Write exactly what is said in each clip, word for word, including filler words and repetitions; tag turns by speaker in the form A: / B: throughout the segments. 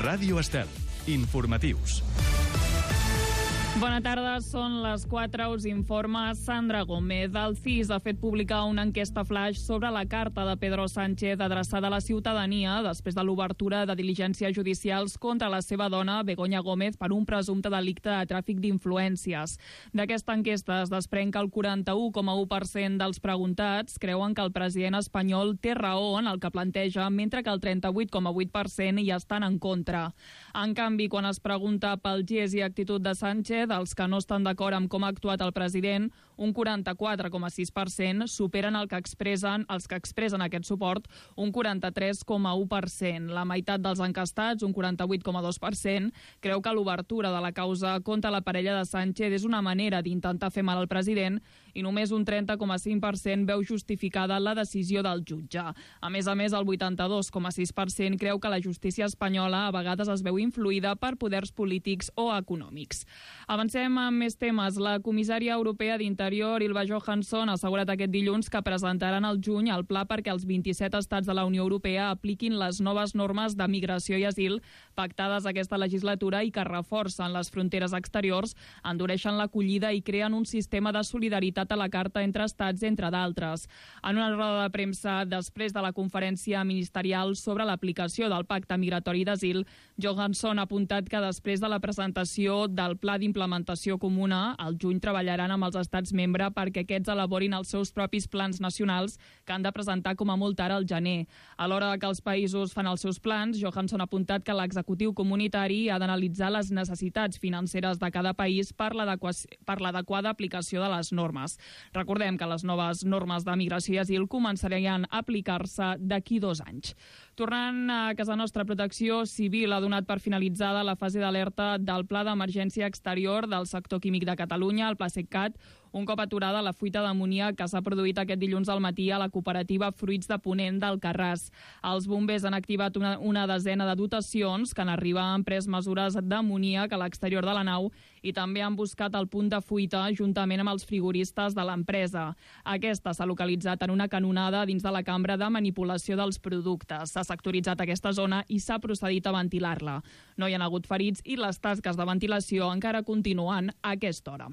A: Ràdio Estel. Informatius.
B: Bona tarda, són les quatre, us informa Sandra Gómez. El C I S ha fet publicar una enquesta flash sobre la carta de Pedro Sánchez adreçada a la ciutadania després de l'obertura de diligències judicials contra la seva dona, Begoña Gómez, per un presumpte delicte de tràfic d'influències. D'aquesta enquesta es desprèn que el quaranta-u coma u per cent dels preguntats creuen que el president espanyol té raó en el que planteja, mentre que el trenta-vuit coma vuit per cent hi estan en contra. En canvi, quan es pregunta pel gest i actitud de Sánchez, dels que no estan d'acord amb com ha actuat el president, un quaranta-quatre coma sis per cent superen el que expressen els que expressen aquest suport, un quaranta-tres coma u per cent. La meitat dels encastats, un quaranta-vuit coma dos per cent, creu que l'obertura de la causa contra la parella de Sánchez és una manera d'intentar fer mal al president i només un trenta coma cinc per cent veu justificada la decisió del jutge. A més a més, el vuitanta-dos coma sis per cent creu que la justícia espanyola a vegades es veu influïda per poders polítics o econòmics. Avancem amb més temes. La comissària europea d'Interior, Ylva Johansson, ha assegurat aquest dilluns que presentaran al juny el pla perquè els vint-i-set estats de la Unió Europea apliquin les noves normes de migració i asil pactades aquesta legislatura i que reforcen les fronteres exteriors, endureixen l'acollida i creen un sistema de solidaritat a la carta entre estats, entre d'altres. En una roda de premsa després de la conferència ministerial sobre l'aplicació del pacte migratori d'asil, Johansson ha apuntat que després de la presentació del pla d'implementació implementació comuna, al juny treballaran amb els estats membres perquè aquests elaborin els seus propis plans nacionals que han de presentar com a molt tard al gener. A l'hora que els països fan els seus plans, Johansson ha apuntat que l'executiu comunitari ha d'analitzar les necessitats financeres de cada país per l'adequada aplicació de les normes. Recordem que les noves normes de migració i asil començarien a aplicar-se d'aquí dos anys. Tornant a casa nostra, Protecció Civil ha donat per finalitzada la fase d'alerta del Pla d'Emergència Exterior del sector químic de Catalunya, el PlaCetcat, un cop aturada la fuita d'amoníac que s'ha produït aquest dilluns al matí a la cooperativa Fruits de Ponent d'Alcarràs. Els bombers han activat una, una desena de dotacions que en arribar han pres mesures d'amoníac a l'exterior de la nau i també han buscat el punt de fuita juntament amb els frigoristes de l'empresa. Aquesta s'ha localitzat en una canonada dins de la cambra de manipulació dels productes. S'ha sectoritzat aquesta zona i s'ha procedit a ventilar-la. No hi ha hagut ferits i les tasques de ventilació encara continuen a aquesta hora.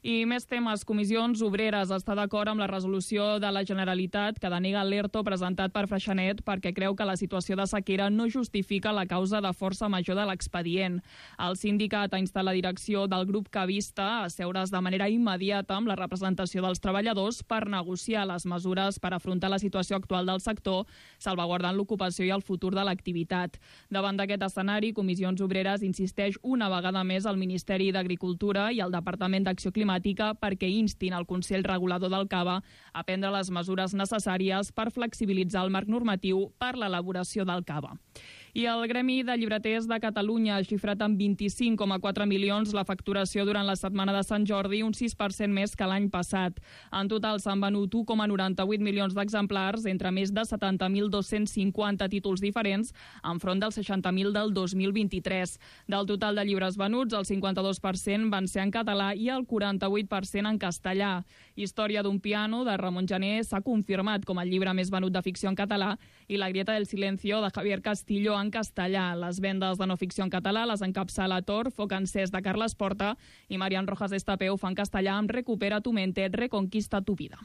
B: I més temes. Comissions Obreres està d'acord amb la resolució de la Generalitat que denega l'ERTO presentat per Freixenet perquè creu que la situació de sequera no justifica la causa de força major de l'expedient. El sindicat ha instat la direcció del grup cavista a seure's de manera immediata amb la representació dels treballadors per negociar les mesures per afrontar la situació actual del sector, salvaguardant l'ocupació i el futur de l'activitat. Davant d'aquest escenari, Comissions Obreres insisteix una vegada més al Ministeri d'Agricultura i al Departament d'Acció Climàtica perquè instin el Consell Regulador del Cava a prendre les mesures necessàries per flexibilitzar el marc normatiu per l'elaboració del Cava. I el Gremi de Llibreters de Catalunya ha xifrat en vint-i-cinc coma quatre milions la facturació durant la setmana de Sant Jordi, un sis per cent més que l'any passat. En total s'han venut u coma noranta-vuit milions d'exemplars entre més de setanta mil dos-cents cinquanta títols diferents, enfront dels seixanta mil del dos mil vint-i-tres. Del total de llibres venuts, el cinquanta-dos per cent van ser en català i el quaranta-vuit per cent en castellà. Història d'un piano, de Ramon Gené, s'ha confirmat com el llibre més venut de ficció en català i La grieta del silencio, de Javier Castillo, en castellà. Les vendes de no ficció en català les encapçala Tor, Foc encès, de Carles Porta, i Marian Rojas Estapeu fa en castellà amb Recupera tu mente, reconquista tu vida.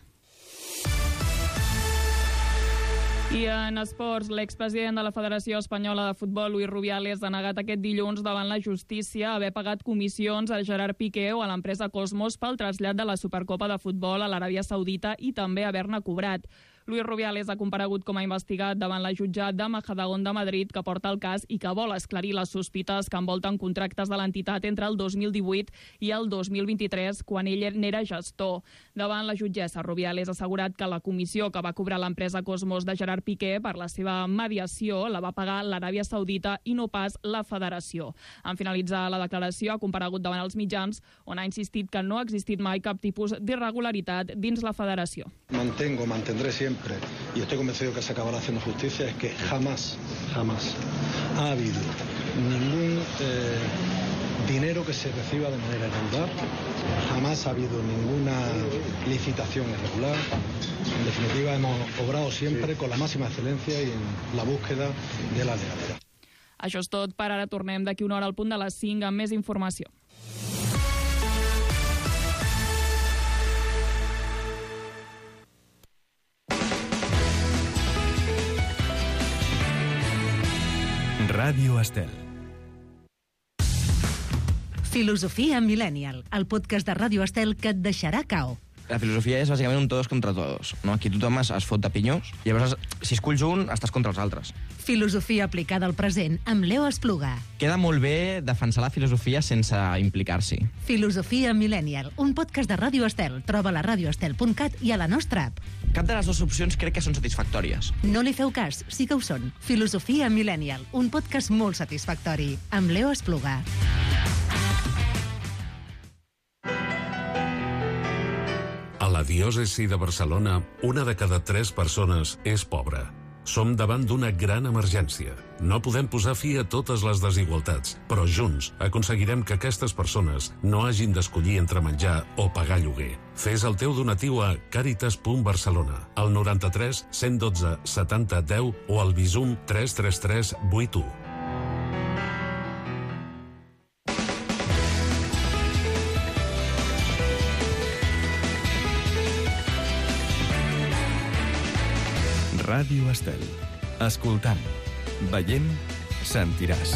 B: I en esports, l'expresident de la Federació Espanyola de Futbol, Luis Rubiales, ha negat aquest dilluns davant la justícia haver pagat comissions a Gerard Piqué o a l'empresa Cosmos pel trasllat de la Supercopa de Futbol a l'Aràbia Saudita i també haver-ne cobrat. Luis Rubiales ha comparegut com a investigat davant la jutjat de Majadahonda de Madrid, que porta el cas i que vol esclarir les sospites que envolten contractes de l'entitat entre el dos mil divuit i el dos mil vint-i-tres, quan ell n'era gestor. Davant la jutgessa, Rubiales ha assegurat que la comissió que va cobrar l'empresa Cosmos de Gerard Piqué per la seva mediació la va pagar l'Aràbia Saudita i no pas la Federació. En finalitzar la declaració, ha comparegut davant els mitjans, on ha insistit que no ha existit mai cap tipus d'irregularitat dins la Federació.
C: Mantengo, mantendré siempre, y estoy convencido que se acabará haciendo justicia, es que jamás, jamás ha habido ningún eh, dinero que se reciba de manera irregular, jamás ha habido ninguna licitación irregular. En definitiva, hemos obrado siempre con la máxima excelencia y en la búsqueda de la legalidad.
B: Això és tot per ara. Tornem d'aquí una hora al punt de les cinc amb més informació.
A: Ràdio Estel.
D: Filosofia Millennial, el podcast de Ràdio Estel que et deixarà cao.
E: La filosofia és bàsicament un todos contra todos, no? Aquí tothom es, es fot de pinyós, i llavors, si esculls un, estàs contra els altres.
D: Filosofia aplicada al present amb Leo Espluga.
E: Queda molt bé defensar la filosofia sense implicar-s'hi.
D: Filosofia Millennial, un podcast de Ràdio Estel. Troba-la a radio estel punt cat i a la nostra app.
E: Cap de les dues opcions crec que són satisfactòries.
D: No li feu cas, sí que ho són. Filosofia Millennial, un podcast molt satisfactori, amb Leo Espluga.
F: A la diòcesi de Barcelona, una de cada tres persones és pobra. Som davant d'una gran emergència. No podem posar fi a totes les desigualtats, però junts aconseguirem que aquestes persones no hagin d'escollir entre menjar o pagar lloguer. Fes el teu donatiu a caritas punt barcelona, al noranta-tres cent dotze setanta deu o al Bizum tres tres tres vuit u.
A: Ràdio Estel. Escoltant, veient, sentiràs.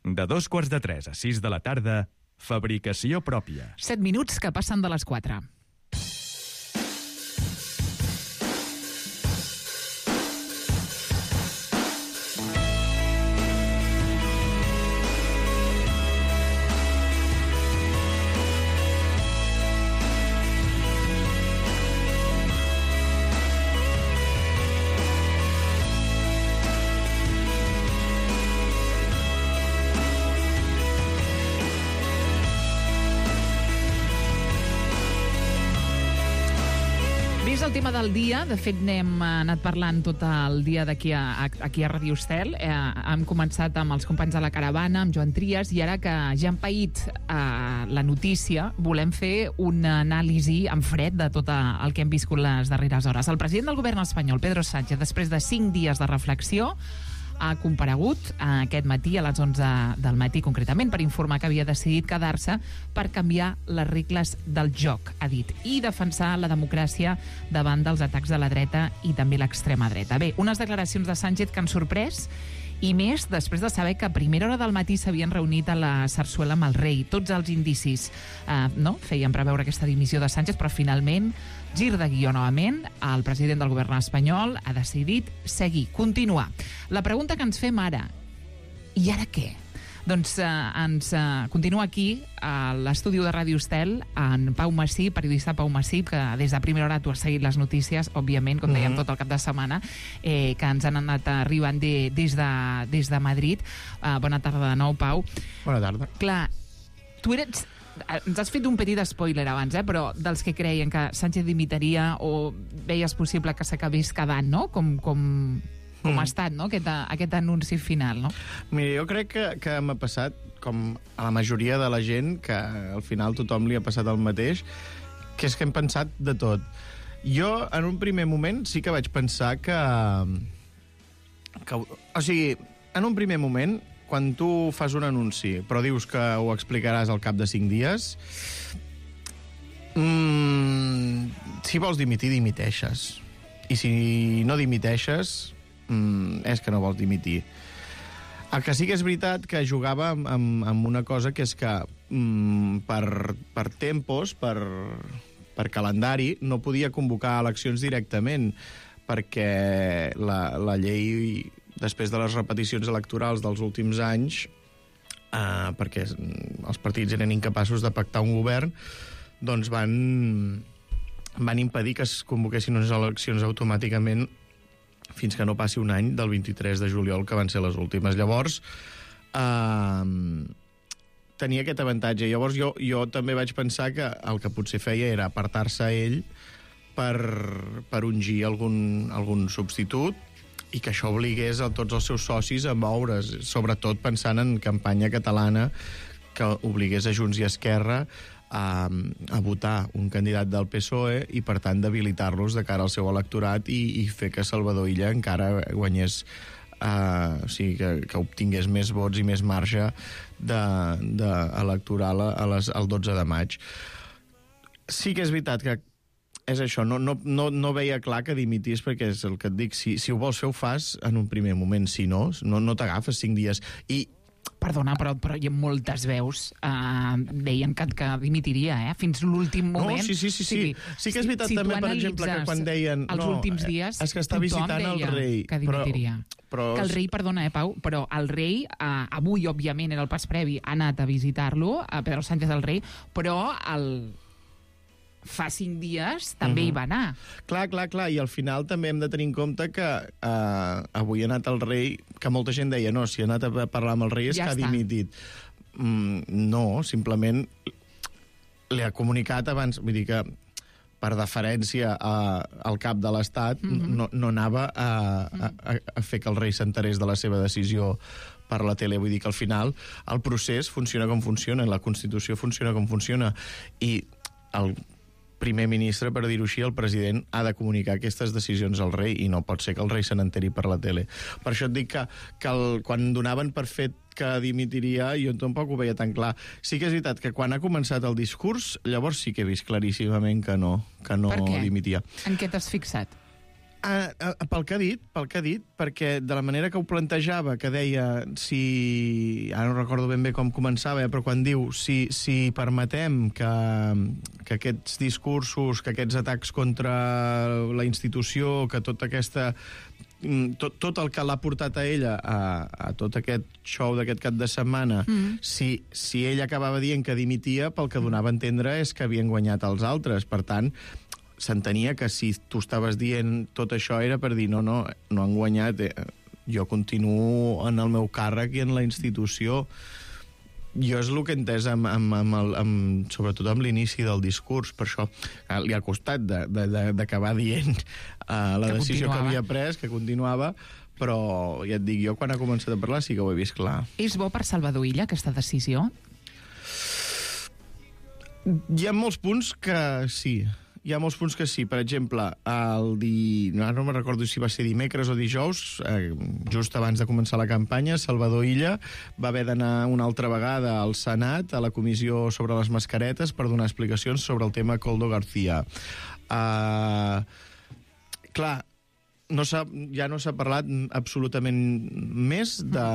A: De dos quarts de tres a sis de la tarda, fabricació pròpia.
G: Set minuts que passen de les quatre. És el tema del dia. De fet, n'hem anat parlant tot el dia d'aquí a, aquí a Ràdio Estel. Eh, hem començat amb els companys de la caravana, amb Joan Trias, i ara que ja han paït eh, la notícia, volem fer una anàlisi en fred de tot el que hem viscut les darreres hores. El president del govern espanyol, Pedro Sánchez, després de cinc dies de reflexió, ha comparegut aquest matí a les onze del matí, concretament, per informar que havia decidit quedar-se per canviar les regles del joc, ha dit, i defensar la democràcia davant dels atacs de la dreta i també l'extrema dreta. Bé, unes declaracions de Sánchez que han sorprès, i més després de saber que a primera hora del matí s'havien reunit a la Sarsuela amb el rei. Tots els indicis eh, no? feien preveure aquesta dimissió de Sánchez, però finalment, gir de guió novament, el president del govern espanyol ha decidit seguir, continuar. La pregunta que ens fem ara, i ara què? Doncs eh, ens eh, continua aquí a l'estudi de Ràdio Estel en Pau Massip, periodista Pau Massip, que des de primera hora tu has seguit les notícies, òbviament, com dèiem, tot el cap de setmana, eh, que ens han anat arribant de, des, de, des de Madrid. Eh, bona tarda de nou, Pau.
H: Bona tarda.
G: Clar, tu eres... Ens has fet un petit spoiler abans, eh? Però dels que creien que Sánchez dimitaria o veies possible que s'acabés quedant, no? Com, com, com mm. ha estat, no? Aquest, aquest anunci final, no?
H: Mira, jo crec que, que m'ha passat, com a la majoria de la gent, que al final tothom li ha passat el mateix, que és que hem pensat de tot. Jo, en un primer moment, sí que vaig pensar que... que o sigui, en un primer moment... quan tu fas un anunci, però dius que ho explicaràs al cap de cinc dies, mmm, si vols dimitir, dimiteixes. I si no dimiteixes, mmm, és que no vols dimitir. El que sí que és veritat que jugava amb, amb, amb una cosa, que és que mmm, per, per tempos, per, per calendari, no podia convocar eleccions directament, perquè la, la llei... després de les repeticions electorals dels últims anys, eh, perquè els partits eren incapaços de pactar un govern, doncs van, van impedir que es convoquessin unes eleccions automàticament fins que no passi un any del vint-i-tres de juliol, que van ser les últimes. Llavors, eh, tenia aquest avantatge. Llavors jo, jo també vaig pensar que el que potser feia era apartar-se ell per, per ungir algun, algun substitut, i que això obligués a tots els seus socis a moure's, sobretot pensant en campanya catalana, que obligués a Junts i Esquerra a, a votar un candidat del P S O E i, per tant, debilitar-los de cara al seu electorat i, i fer que Salvador Illa encara guanyés, uh, o sigui, que, que obtingués més vots i més marge de, de electoral a les, al dotze de maig. Sí que és veritat que és això, no, no, no, no veia clar que dimitís, perquè és el que et dic, si, si ho vols fer ho fas en un primer moment, si no, no, no t'agafes cinc dies. I
G: Perdona, però, però hi ha moltes veus eh, deien que, que dimitiria, eh? Fins l'últim moment.
H: No, sí, sí, sí. Sí, sí, sí que és veritat, si, si també, per exemple, que quan deien...
G: Els
H: no,
G: últims dies,
H: és que està visitant el rei.
G: Que dimitiria.
H: Però, però...
G: Que el rei, perdona, eh, Pau, però el rei, eh, avui, òbviament, era el pas previ, ha anat a visitar-lo, a Pedro Sánchez el rei, però el... fa cinc dies també uh-huh. hi va anar.
H: Clar, clar, clar, i al final també hem de tenir en compte que uh, avui ha anat el rei, que molta gent deia, no, si ha anat a parlar amb el rei és ja que està. Ha dimitit. Mm, no, simplement li ha comunicat abans, vull dir que per deferència a, al cap de l'Estat uh-huh. no, no anava a, a, a fer que el rei s'enterés de la seva decisió per la tele. Vull dir que al final el procés funciona com funciona, la Constitució funciona com funciona, i el primer ministre, per dir-ho així, el president ha de comunicar aquestes decisions al rei i no pot ser que el rei se n'enteri per la tele. Per això et dic que, que el, quan donaven per fet que dimitiria, jo tampoc ho veia tan clar. Sí que és veritat que quan ha començat el discurs, llavors sí que he vist claríssimament que no, que no dimitia.
G: En què t'has fixat?
H: Uh, uh, pel que ha dit, pel que ha dit, perquè de la manera que ho plantejava, que deia, si... ara no recordo ben bé com començava, eh, però quan diu, si, si permetem que, que aquests discursos, que aquests atacs contra la institució, que tota aquesta... Tot, tot el que l'ha portat a ella a, a tot aquest show d'aquest cap de setmana, mm. si, si ell acabava dient que dimitia, pel que donava a entendre és que havien guanyat els altres. Per tant, s'entenia que si tu estaves dient tot això era per dir no, no, no han guanyat, eh, jo continuo en el meu càrrec i en la institució. Jo és el que he entès amb, amb, amb el, amb, sobretot amb l'inici del discurs, per això eh, li ha costat d'acabar de, de, dient uh, la que decisió continuava. Que havia pres, que continuava, però ja et dic, jo quan ha començat a parlar sí que ho he vist clar.
G: És bo per Salvador Illa aquesta decisió?
H: Hi ha molts punts que sí. Hi ha molts punts que sí. Per exemple, el di... no, no me'n recordo si va ser dimecres o dijous, eh, just abans de començar la campanya, Salvador Illa va haver d'anar una altra vegada al Senat, a la comissió sobre les mascaretes, per donar explicacions sobre el tema Koldo García. Uh, clar, no ja no s'ha parlat absolutament més de...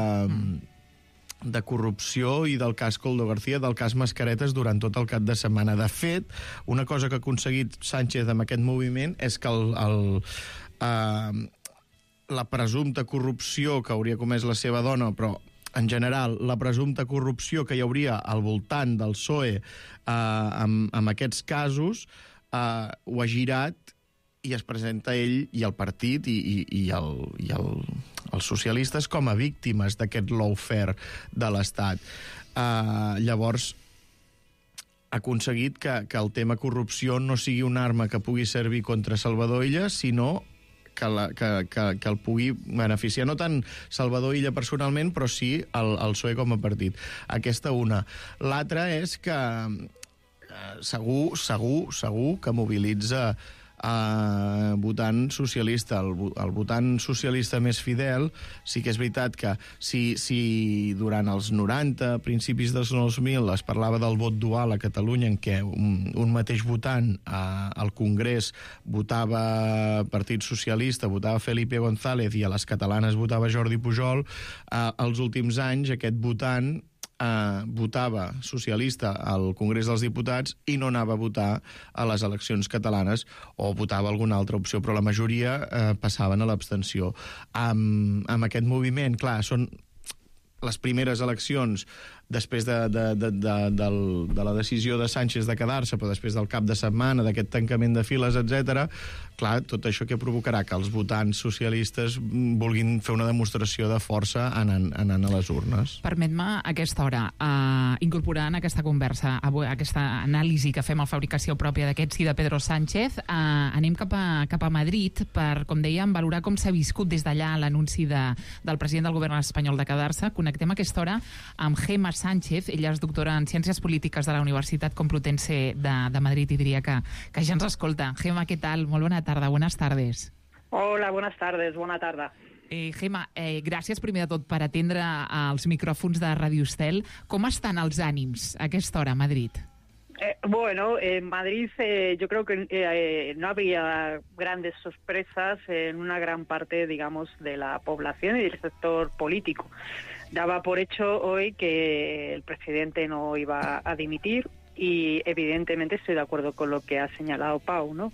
H: de corrupció i del cas Koldo García, del cas Mascaretes durant tot el cap de setmana. De fet, una cosa que ha aconseguit Sánchez amb aquest moviment és que el, el, eh, la presumpta corrupció que hauria comès la seva dona, però en general, la presumpta corrupció que hi hauria al voltant del P S O E eh, amb, amb aquests casos, eh, ho ha girat i es presenta ell i el partit i, i, i, el, i el, els socialistes com a víctimes d'aquest lawfare de l'Estat. Uh, llavors, ha aconseguit que, que el tema corrupció no sigui una arma que pugui servir contra Salvador Illa, sinó que, la, que, que, que el pugui beneficiar. No tant Salvador Illa personalment, però sí el, el P S O E com a partit. Aquesta una. L'altra és que uh, segur, segur, segur que mobilitza Uh, votant socialista. El, el votant socialista més fidel, sí que és veritat que si, si durant els noranta, principis dels dos mil, es parlava del vot dual a Catalunya, en què un, un mateix votant uh, al Congrés votava Partit Socialista, votava Felipe González i a les catalanes votava Jordi Pujol, uh, els últims anys aquest votant Uh, votava socialista al Congrés dels Diputats i no anava a votar a les eleccions catalanes, o votava alguna altra opció, però la majoria uh, passaven a l'abstenció. Amb, amb aquest moviment, clar, són les primeres eleccions després de, de, de, de, de, de la decisió de Sánchez de quedar-se, però després del cap de setmana, d'aquest tancament de files, etcètera, clar, tot això que provocarà que els votants socialistes vulguin fer una demostració de força anant, anant a les urnes.
G: Permet-me a aquesta hora uh, incorporar en aquesta conversa, avui, aquesta anàlisi que fem a Fabricació Pròpia d'aquest sí de Pedro Sánchez, uh, anem cap a, cap a Madrid per, com dèiem, valorar com s'ha viscut des d'allà l'anunci de, del president del govern espanyol de quedar-se. Connectem connectem a aquesta hora amb Gemma Sánchez. Ella és doctora en Ciències Polítiques de la Universitat Complutense de, de Madrid i diria que, que ja ens escolta. Gemma, què tal? Molt bona tarda, buenas tardes.
I: Hola, buenas tardes, bona tarda.
G: Eh, Gemma, eh, gràcies primer de tot per atendre els micròfons de Radio Estel. Com estan els ànims a aquesta hora a Madrid?
I: Eh, bueno, en Madrid eh, yo creo que eh, no había grandes sorpresas en una gran parte, digamos, de la población y del sector político. Daba por hecho hoy que el presidente no iba a dimitir y evidentemente estoy de acuerdo con lo que ha señalado Pau, ¿no?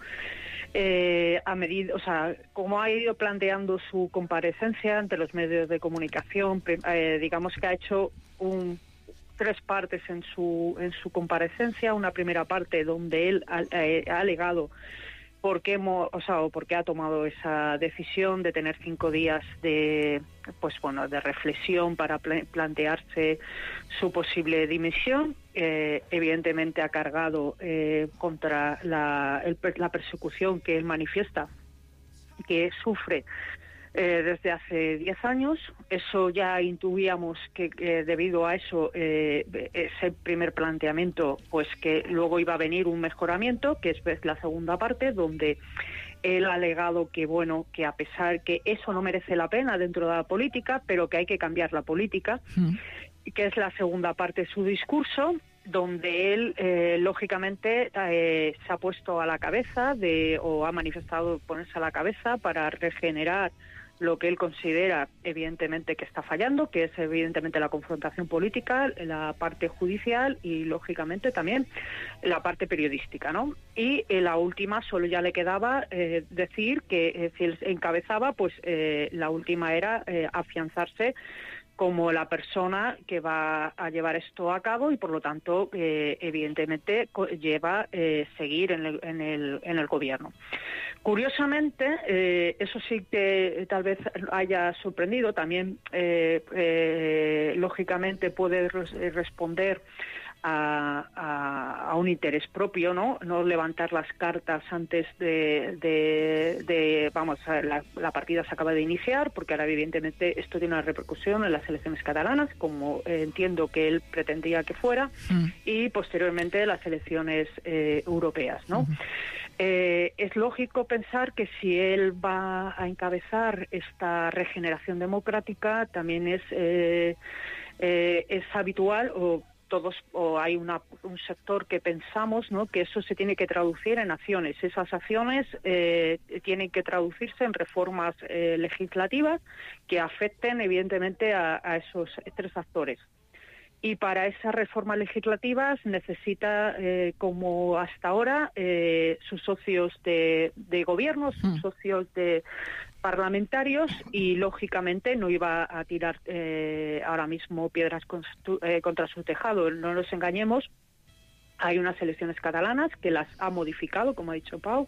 I: Eh, a medida, o sea, como ha ido planteando su comparecencia ante los medios de comunicación, eh, digamos que ha hecho un tres partes en su en su comparecencia. Una primera parte donde él ha, eh, ha alegado por qué, o sea, o por qué ha tomado esa decisión de tener cinco días de, pues bueno, de reflexión para pl- plantearse su posible dimisión. Eh, evidentemente ha cargado eh, contra la, el, la persecución que él manifiesta que sufre Eh, desde hace diez años. Eso ya intuíamos que, que debido a eso, eh, ese primer planteamiento, pues que luego iba a venir un mejoramiento, que es la segunda parte, donde él ha alegado que, bueno, que a pesar que eso no merece la pena dentro de la política, pero que hay que cambiar la política, mm. que es la segunda parte de su discurso, donde él, eh, lógicamente, eh, se ha puesto a la cabeza de, o ha manifestado ponerse a la cabeza para regenerar lo que él considera, evidentemente, que está fallando, que es, evidentemente, la confrontación política, la parte judicial y, lógicamente, también la parte periodística, ¿no? Y eh, la última, solo ya le quedaba eh, decir que, eh, si él encabezaba, pues eh, la última era eh, afianzarse como la persona que va a llevar esto a cabo y, por lo tanto, eh, evidentemente, co- lleva eh, seguir en el, en, el, en el gobierno. Curiosamente, eh, eso sí que tal vez haya sorprendido, también, eh, eh, lógicamente, puede res- responder A, a, a un interés propio, ¿no? No levantar las cartas antes de, de, de vamos, la, la partida se acaba de iniciar, porque ahora evidentemente esto tiene una repercusión en las elecciones catalanas, como eh, entiendo que él pretendía que fuera, mm. y posteriormente las elecciones eh, europeas, ¿no? Mm. Eh, es lógico pensar que si él va a encabezar esta regeneración democrática, también es, eh, eh, es habitual o todos o hay una, un sector que pensamos, ¿no?, que eso se tiene que traducir en acciones. Esas acciones eh, tienen que traducirse en reformas eh, legislativas que afecten, evidentemente, a, a esos tres actores. Y para esas reformas legislativas necesita, eh, como hasta ahora, eh, sus socios de, de gobierno, sus mm. socios de parlamentarios, y lógicamente no iba a tirar eh, ahora mismo piedras con, eh, contra su tejado. No nos engañemos. Hay unas elecciones catalanas que las ha modificado, como ha dicho Pau.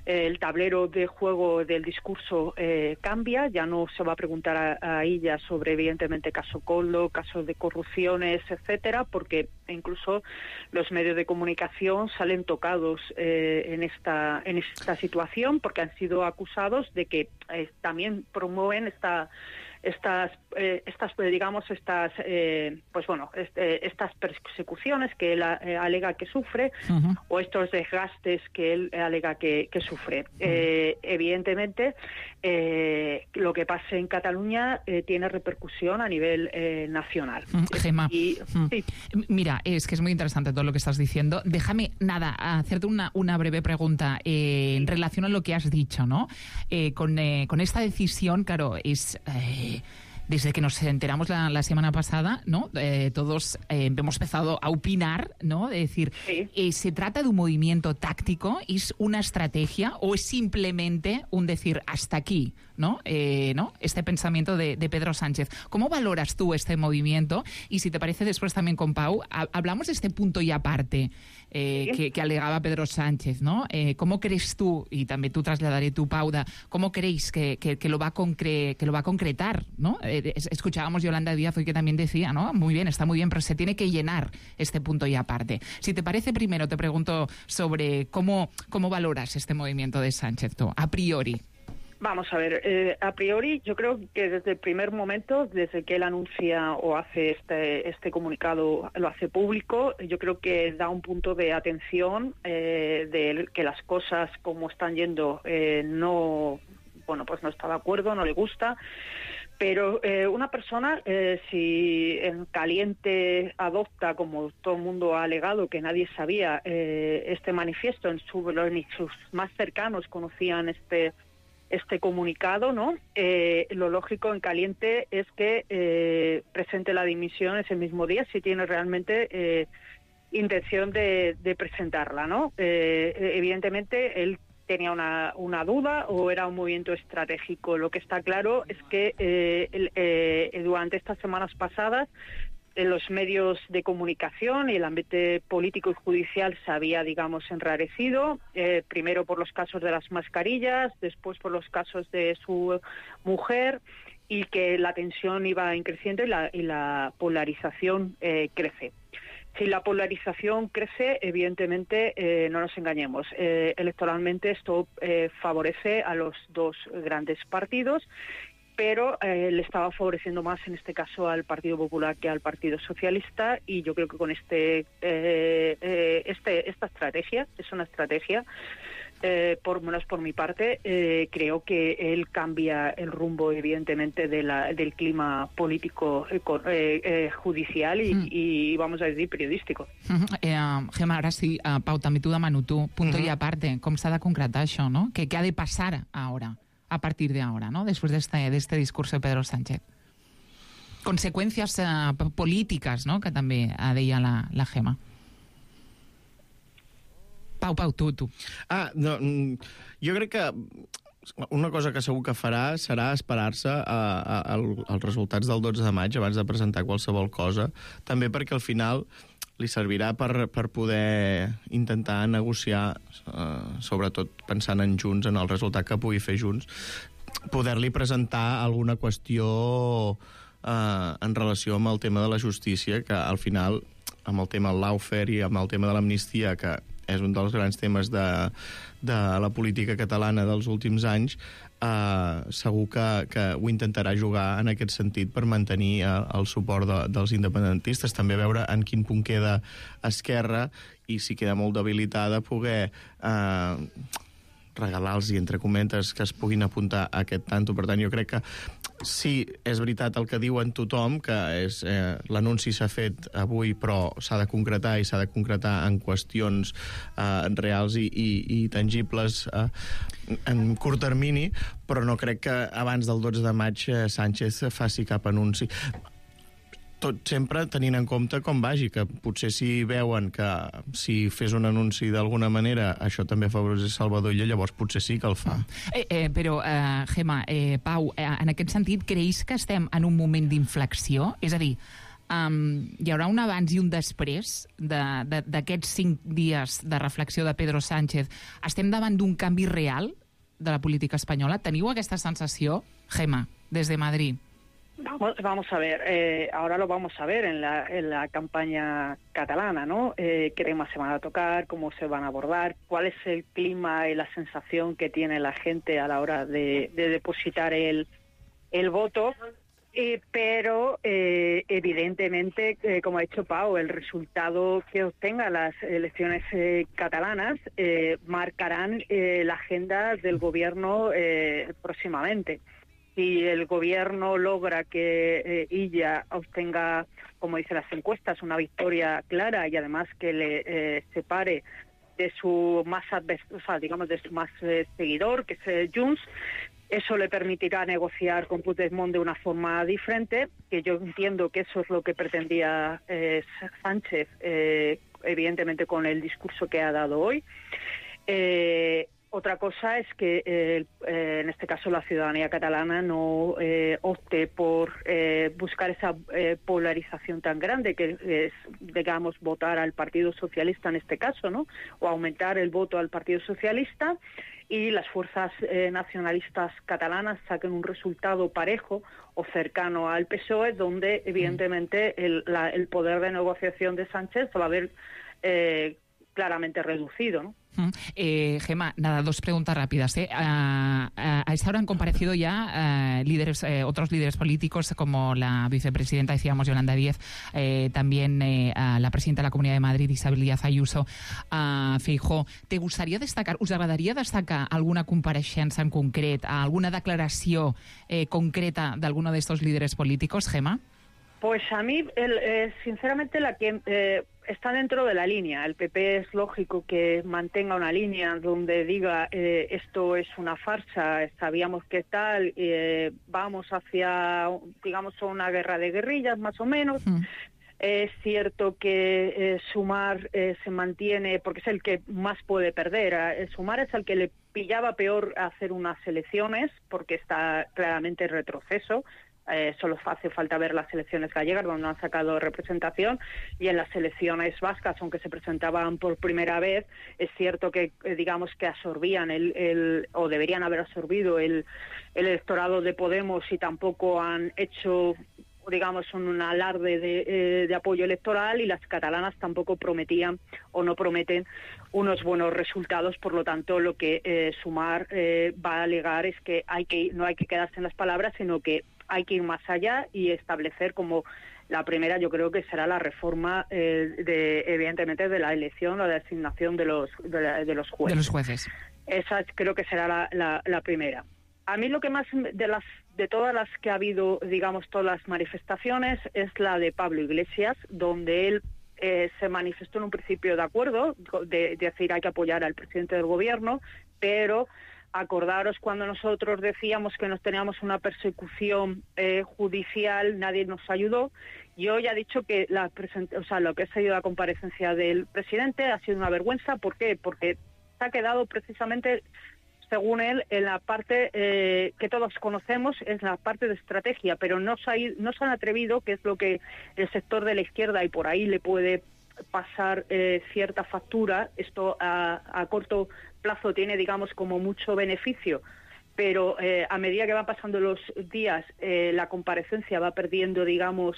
I: Eh, el tablero de juego del discurso eh, cambia. Ya no se va a preguntar a, a ella sobre, evidentemente, caso Coldo, casos de corrupciones, etcétera, porque incluso los medios de comunicación salen tocados eh, en esta en esta situación, porque han sido acusados de que eh, también promueven esta estas eh, estas digamos estas eh, pues bueno este, estas persecuciones que él eh, alega que sufre, uh-huh. o estos desgastes que él alega que, que sufre. Uh-huh. Eh, evidentemente eh, lo que pase en Cataluña eh, tiene repercusión a nivel eh, nacional.
G: Uh, Gemma,
I: y,
G: uh,
I: sí.
G: mira, es que es muy interesante todo lo que estás diciendo. Déjame, nada, hacerte una, una breve pregunta eh, en relación a lo que has dicho, ¿no? Eh, con, eh, con esta decisión, claro, es... Eh, Desde que nos enteramos la, la semana pasada, ¿no? Eh, todos eh, hemos empezado a opinar, ¿no? De decir,
I: sí.
G: eh, ¿se trata de un movimiento táctico? ¿Es una estrategia? ¿O es simplemente un decir hasta aquí, ¿no? Eh, ¿no? Este pensamiento de, de Pedro Sánchez. ¿Cómo valoras tú este movimiento? Y si te parece, después también con Pau, a, hablamos de este punto y aparte eh, sí. que, que alegaba Pedro Sánchez, ¿no? Eh, ¿Cómo crees tú, y también tú trasladaré tu Pauda, cómo creéis que, que, que, lo, va a concre, que lo va a concretar, ¿no? Eh, Escuchábamos Yolanda Díaz hoy que también decía, ¿no? Muy bien, está muy bien, pero se tiene que llenar este punto y aparte. Si te parece, primero te pregunto sobre cómo, cómo valoras este movimiento de Sánchez tú, a priori.
I: Vamos a ver, eh, a priori yo creo que desde el primer momento, desde que él anuncia o hace este, este comunicado, lo hace público, yo creo que da un punto de atención eh, de que las cosas como están yendo eh, no, bueno, pues no está de acuerdo, no le gusta. Pero eh, una persona, eh, si en caliente adopta, como todo el mundo ha alegado, que nadie sabía eh, este manifiesto, en su, ni sus más cercanos conocían este este comunicado, ¿no? Eh, lo lógico en caliente es que eh, presente la dimisión ese mismo día, si tiene realmente eh, intención de, de presentarla, ¿no? Eh, evidentemente, él tenía una, una duda o era un movimiento estratégico. Lo que está claro es que eh, el, eh, durante estas semanas pasadas en los medios de comunicación y el ambiente político y judicial se había, digamos, enrarecido, eh, primero por los casos de las mascarillas, después por los casos de su mujer, y que la tensión iba creciendo y la, y la polarización eh, crece. Si la polarización crece, evidentemente, eh, no nos engañemos, eh, electoralmente esto eh, favorece a los dos grandes partidos, pero eh, le estaba favoreciendo más en este caso al Partido Popular que al Partido Socialista, y yo creo que con este, eh, eh, este esta estrategia, es una estrategia, eh, por menos por mi parte, eh, creo que él cambia el rumbo evidentemente de la, del clima político, eh, eh, judicial y, mm. y, vamos a decir, periodístico.
G: Mm-hmm. Eh, Gemma, ara sí, uh, Pau, també t'ho demano tu, punto mm-hmm. i aparte, com s'ha de concretar això, no? ¿Qué, qué ha de pasar ahora? A partir de ahora, ¿no? Después de este, de este discurso de Pedro Sánchez. Consecuencias uh, políticas, ¿no? Que també deia la, la Gemma. Pau, Pau, tu, tu.
H: Ah, no, jo crec que una cosa que segur que farà serà esperar-se als resultats del dotze de maig abans de presentar qualsevol cosa, també perquè al final li servirà per, per poder intentar negociar, eh, sobretot pensant en Junts, en el resultat que pugui fer Junts, poder-li presentar alguna qüestió eh, en relació amb el tema de la justícia, que al final, amb el tema del lawfare i amb el tema de l'amnistia, que és un dels grans temes de, de la política catalana dels últims anys, eh, segur que, que ho intentarà jugar en aquest sentit per mantenir eh, el suport de, dels independentistes. També veure en quin punt queda Esquerra i si queda molt debilitada poder eh, regalar-los, entre comentes, que es puguin apuntar a aquest tanto. Per tant, jo crec que sí, és veritat el que diuen tothom, que és eh, l'anunci s'ha fet avui, però s'ha de concretar i s'ha de concretar en qüestions eh, reals i, i, i tangibles eh, en curt termini, però no crec que abans del dotze de maig eh, Sánchez faci cap anunci. Tot sempre tenint en compte com vagi, que potser si veuen que si fes un anunci d'alguna manera això també afavoreix Salvador Illa, llavors potser sí que el fa.
G: Eh, eh, però, eh, Gemma, eh, Pau, eh, en aquest sentit, creus que estem en un moment d'inflexió? És a dir, um, hi haurà un abans i un després d'aquests cinc dies de reflexió de Pedro Sánchez? Estem davant d'un canvi real de la política espanyola? Teniu aquesta sensació, Gemma, des de Madrid?
I: Vamos, vamos a ver, eh, ahora lo vamos a ver en la, en la campaña catalana, ¿no? Eh, ¿Qué temas se van a tocar? ¿Cómo se van a abordar? ¿Cuál es el clima y la sensación que tiene la gente a la hora de, de depositar el, el voto? Eh, pero eh, evidentemente, eh, como ha dicho Pau, el resultado que obtengan las elecciones eh, catalanas eh, marcarán eh, la agenda del gobierno eh, próximamente. Si el gobierno logra que eh, Illa obtenga, como dicen las encuestas, una victoria clara y además que le eh, separe de su más advers- o sea, digamos de su más eh, seguidor, que es eh, Junts, eso le permitirá negociar con Puigdemont de una forma diferente, que yo entiendo que eso es lo que pretendía eh, Sánchez, eh, evidentemente con el discurso que ha dado hoy. Eh, Otra cosa es que, eh, eh, en este caso, la ciudadanía catalana no eh, opte por eh, buscar esa eh, polarización tan grande, que es, digamos, votar al Partido Socialista en este caso, ¿no? O aumentar el voto al Partido Socialista, y las fuerzas eh, nacionalistas catalanas saquen un resultado parejo o cercano al P S O E, donde, evidentemente, el, la, el poder de negociación de Sánchez se va a ver eh, claramente reducido, ¿no?
G: Mm. Eh, Gemma, nada, dos preguntas rápidas. ¿eh? A, a, a esta hora han comparecido ya eh, líderes, eh, otros líderes políticos, como la vicepresidenta, decíamos, Yolanda Díez, eh, también eh, a la presidenta de la Comunidad de Madrid, Isabel Díaz Ayuso, a Feijóo. ¿Te gustaría destacar, us agradaria destacar alguna compareixença en concret, alguna declaració eh, concreta de alguno de estos líderes políticos, Gemma?
I: Pues a mí, el, eh, sinceramente, la que eh, está dentro de la línea. El P P es lógico que mantenga una línea donde diga eh, esto es una farsa, sabíamos que tal, eh, vamos hacia, digamos, una guerra de guerrillas, más o menos. Mm. Es cierto que eh, Sumar eh, se mantiene, porque es el que más puede perder. Eh, Sumar es el que le pillaba peor hacer unas elecciones, porque está claramente en retroceso. Eh, solo hace falta ver las elecciones gallegas, donde no han sacado representación, y en las elecciones vascas, aunque se presentaban por primera vez, es cierto que, eh, digamos, que absorbían el, el o deberían haber absorbido el, el electorado de Podemos, y tampoco han hecho, digamos, un alarde de, eh, de apoyo electoral, y las catalanas tampoco prometían o no prometen unos buenos resultados. Por lo tanto, lo que eh, Sumar eh, va a alegar es que hay que no hay que quedarse en las palabras, sino que hay que ir más allá y establecer como la primera, yo creo que será la reforma, eh, de, evidentemente, de la elección o de la designación de los, de, la, de los jueces.
G: De los jueces.
I: Esa creo que será la, la, la primera. A mí lo que más, de las de todas las que ha habido, digamos, todas las manifestaciones, es la de Pablo Iglesias, donde él eh, se manifestó en un principio de acuerdo, de, de decir hay que apoyar al presidente del gobierno, pero acordaros cuando nosotros decíamos que nos teníamos una persecución eh, judicial, nadie nos ayudó. Y hoy ha dicho que la o sea, lo que ha sido la comparecencia del presidente ha sido una vergüenza. ¿Por qué? Porque se ha quedado precisamente, según él, en la parte eh, que todos conocemos, es la parte de estrategia, pero no se, ha, no se han atrevido, que es lo que el sector de la izquierda, y por ahí le puede pasar eh, cierta factura. Esto a, a corto plazo tiene, digamos, como mucho beneficio, pero eh, a medida que van pasando los días, eh, la comparecencia va perdiendo, digamos,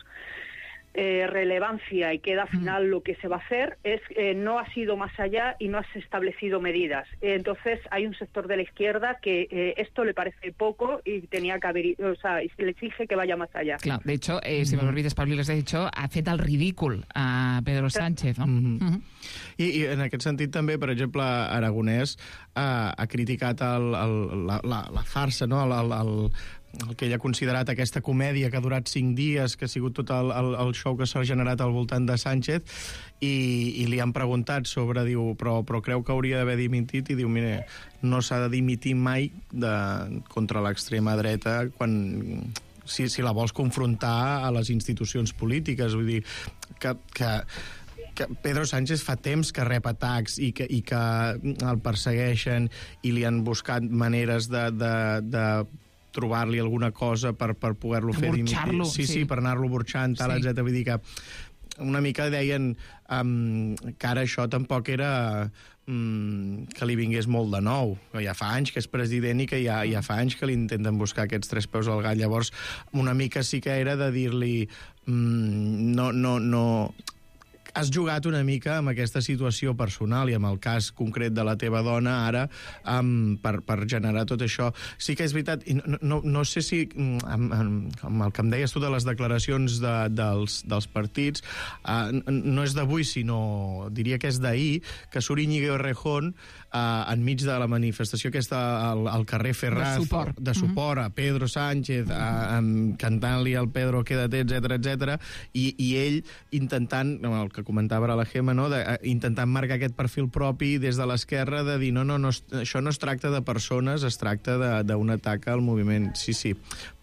I: Eh, relevancia, y queda al final lo que se va a hacer es eh, no ha sido más allá y no has establecido medidas. Eh, entonces hay un sector de la izquierda que eh, esto le parece poco y tenía que haber, o sea, y se le exige que vaya más allá.
G: Clar, de hecho, eh, si me olvides, Pablo Iglesias, de hecho, ha fet el ridícul a Pedro Sánchez, no?
H: Mm-hmm. Mm-hmm. I, I en aquest sentit també, per exemple, Aragonès ha, ha criticat el, el, la, la, la farsa, no? el, el, el el que ell ha considerat aquesta comèdia que ha durat cinc dies, que ha sigut tot el, el, el show que s'ha generat al voltant de Sánchez, i, i li han preguntat sobre, diu, però, però creu que hauria d'haver dimitit, i diu, mire, no s'ha de dimitir mai de, contra l'extrema dreta quan, si, si la vols confrontar a les institucions polítiques. Vull dir, que... que que Pedro Sánchez fa temps que rep atacs i que, i que el persegueixen i li han buscat maneres de, de, de trobar-li alguna cosa per, per poder-lo fer dimitir. Sí, sí, sí, per anar-lo burxant, tal, sí. etcètera. Vull dir que una mica deien um, que ara això tampoc era um, que li vingués molt de nou. Ja fa anys que és president i que ja, ja fa anys que li intenten buscar aquests tres peus al gat. Llavors, una mica sí que era de dir-li um, no, no, no... Has jugat una mica amb aquesta situació personal i amb el cas concret de la teva dona ara um, per, per generar tot això. Sí que és veritat, i no, no, no sé si amb, amb el que em deies tu de les declaracions de, dels, dels partits, uh, no és d'avui, sinó diria que és d'ahir, que surt Íñigo Errejón uh, enmig de la manifestació aquesta al, al carrer Ferraz,
G: de suport,
H: de suport mm-hmm. a Pedro Sánchez, uh, um, cantant-li al Pedro quédate, etcètera, etcètera, i, i ell intentant, el que comentava ara la Gemma, no? de, intentant marcar aquest perfil propi des de l'esquerra, de dir, no, no, no, això no es tracta de persones, es tracta d'un atac al moviment. Sí, sí,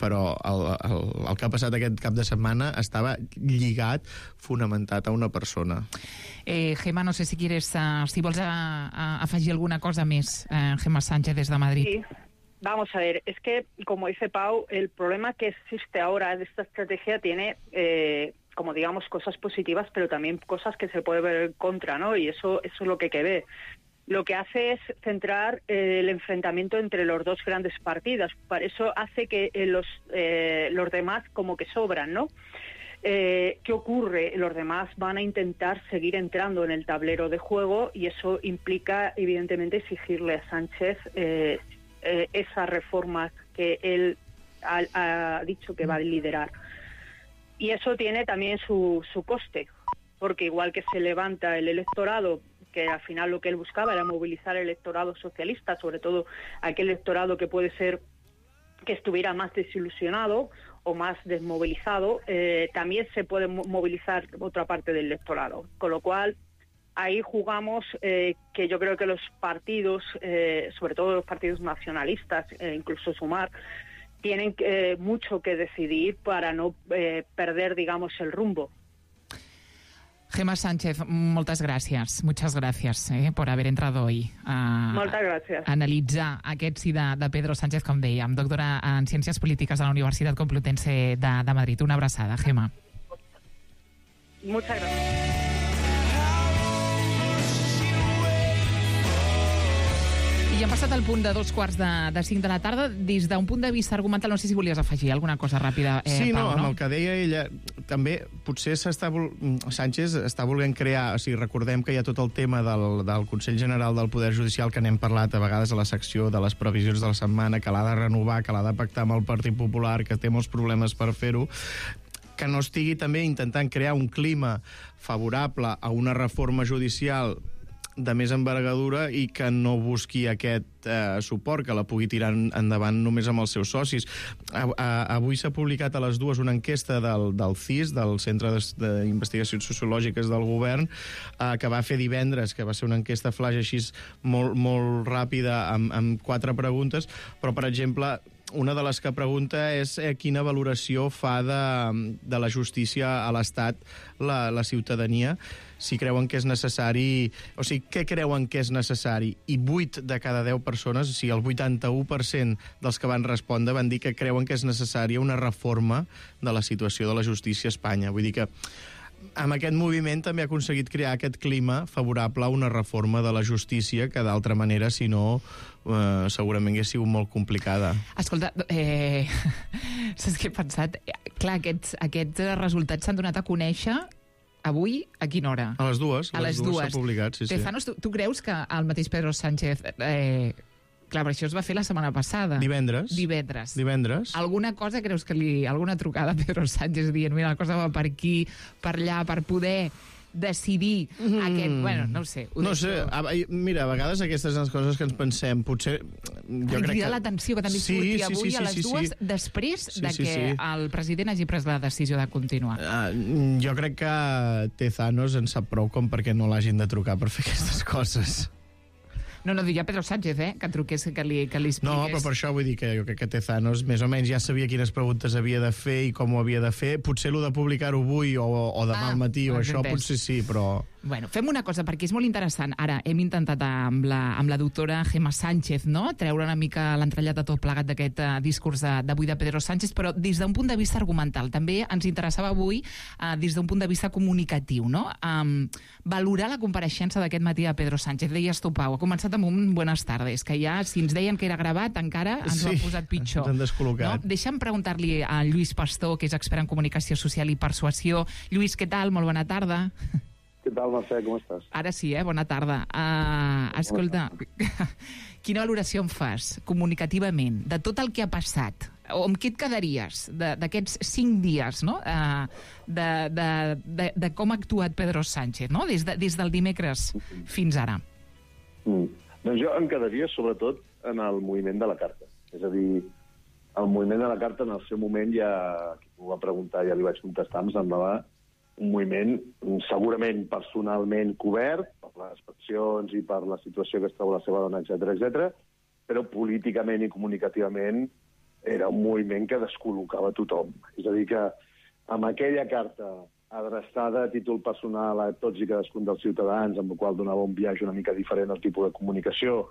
H: però el, el, el que ha passat aquest cap de setmana estava lligat, fonamentat a una persona.
G: Eh, Gemma, no sé si quieres, uh, si vols uh, uh, afegir alguna cosa més, uh, Gemma Sánchez, des de Madrid.
I: Sí. Vamos a ver, es que, como dice Pau, el problema que existe ahora de esta estrategia tiene, eh, como digamos, cosas positivas, pero también cosas que se puede ver en contra, ¿no? Y eso, eso es lo que hay que ver. Lo que hace es centrar eh, el enfrentamiento entre los dos grandes partidos. Para eso hace que eh, los, eh, los demás como que sobran, ¿no? Eh, ¿Qué ocurre? Los demás van a intentar seguir entrando en el tablero de juego y eso implica, evidentemente, exigirle a Sánchez eh, eh, esas reformas que él ha, ha dicho que va a liderar. Y eso tiene también su, su coste, porque igual que se levanta el electorado, que al final lo que él buscaba era movilizar el electorado socialista, sobre todo aquel electorado que puede ser que estuviera más desilusionado o más desmovilizado, eh, también se puede movilizar otra parte del electorado. Con lo cual, ahí jugamos eh, que yo creo que los partidos, eh, sobre todo los partidos nacionalistas, eh, incluso Sumar, tienen eh, mucho que decidir para no eh, perder, digamos, el rumbo.
G: Gemma Sánchez, moltes gràcies. Muchas gracias eh, por haber entrado hoy a,
I: Moltes gràcies.
G: a analitzar aquest sí de, de Pedro Sánchez, com dèiem, doctora en Ciències Polítiques de la Universitat Complutense de, de Madrid. Una abraçada, Gemma.
I: Muchas gracias.
G: I hem passat al punt de dos quarts de, de cinc de la tarda. Des d'un punt de vista argumental, no sé si volies afegir alguna cosa ràpida, eh,
H: sí,
G: Pau,
H: no,
G: no?
H: amb el que deia ella, també potser s'està vol... Sánchez està volent crear, o sigui, recordem que hi ha tot el tema del, del Consell General del Poder Judicial, que n'hem parlat a vegades a la secció de les previsions de la setmana, que l'ha de renovar, que l'ha de pactar amb el Partit Popular, que té molts problemes per fer-ho, que no estigui també intentant crear un clima favorable a una reforma judicial de més envergadura i que no busqui aquest eh, suport, que la pugui tirar endavant només amb els seus socis. A, a, avui s'ha publicat a les dues una enquesta del, del C I S, del Centre d'Investigacions Sociològiques del Govern, eh, que va fer divendres, que va ser una enquesta flash així molt, molt ràpida, amb, amb quatre preguntes, però, per exemple, una de les que pregunta és eh, quina valoració fa de, de la justícia a l'Estat la, la ciutadania, si creuen que és necessari, o sigui, què creuen que és necessari, i vuit de cada deu persones, o sigui, el vuitanta-u per cent dels que van respondre van dir que creuen que és necessària una reforma de la situació de la justícia a Espanya. Vull dir que amb aquest moviment també ha aconseguit crear aquest clima favorable a una reforma de la justícia que d'altra manera, si no, eh, segurament hauria sigut molt complicada.
G: Escolta, eh, saps què he pensat? Clar, aquests, aquests resultats s'han donat a conèixer avui, a quina hora?
H: A les dues.
G: A les dues.
H: S'ha publicat, sí, sí.
G: Tezanos, tu, tu creus que el mateix Pedro Sánchez... Eh, clar, però això es va fer la setmana passada.
H: Divendres.
G: Divendres.
H: Divendres.
G: Alguna cosa creus que li... Alguna trucada a Pedro Sánchez dient, mira, la cosa va per aquí, per allà, per poder decidir mm. aquest... Bueno, no ho sé. Ho
H: no sé, a, mira, a vegades aquestes són les coses que ens pensem. Potser... Jo crec que...
G: l'atenció que també
H: sí,
G: surti
H: sí,
G: avui
H: sí, sí,
G: a les
H: sí,
G: dues,
H: sí.
G: després
H: sí,
G: de
H: sí,
G: que
H: sí.
G: el president hagi pres la decisió de continuar.
H: Uh, jo crec que Tezanos en sap prou com perquè no l'hagin de trucar per fer aquestes coses.
G: No, no, diria Pedro Sánchez, eh, que truqués, que li, que li expliqués.
H: No, però per això vull dir que jo crec que Tezanos més o menys ja sabia quines preguntes havia de fer i com ho havia de fer. Potser lo de publicar-ho avui o, o demà
G: ah,
H: al matí o això
G: entès.
H: potser sí, però...
G: Bueno, fem una cosa, perquè és molt interessant. Ara, hem intentat amb la, amb la doctora Gemma Sánchez, no?, treure una mica l'entrellat de tot plegat d'aquest uh, discurs d'avui de, de Pedro Sánchez, però des d'un punt de vista argumental. També ens interessava avui, uh, des d'un punt de vista comunicatiu, no?, um, valorar la compareixença d'aquest matí de Pedro Sánchez. Deies tu, Pau, ha començat amb un buenas tardes, que ja, si ens deien que era gravat, encara ens
H: sí,
G: ho ha posat pitjor.
H: Ens han descol·locat.
G: No? Deixa'm preguntar-li a Lluís Pastor, que és expert en comunicació social i persuasió. Lluís, què tal? Molt bona tarda.
J: Què tal, Mercè? Com estàs?
G: Ara sí, eh? Bona tarda. Uh, escolta, quina valoració em fas, comunicativament, de tot el que ha passat? O amb què et quedaries d'aquests cinc dies, no?, uh, de, de, de, de com ha actuat Pedro Sánchez, no?, des, de, des del dimecres fins ara?
J: Mm. Doncs jo em quedaria, sobretot, en el moviment de la carta. És a dir, el moviment de la carta, en el seu moment, ja, qui m'ho va preguntar, ja li vaig contestar, em semblava un moviment segurament personalment cobert per les passions i per la situació que es troba la seva dona, etcètera, etcètera, però políticament i comunicativament era un moviment que descol·locava tothom. És a dir, que amb aquella carta adreçada a títol personal a tots i cadascun dels ciutadans, amb la qual donava un viatge una mica diferent al tipus de comunicació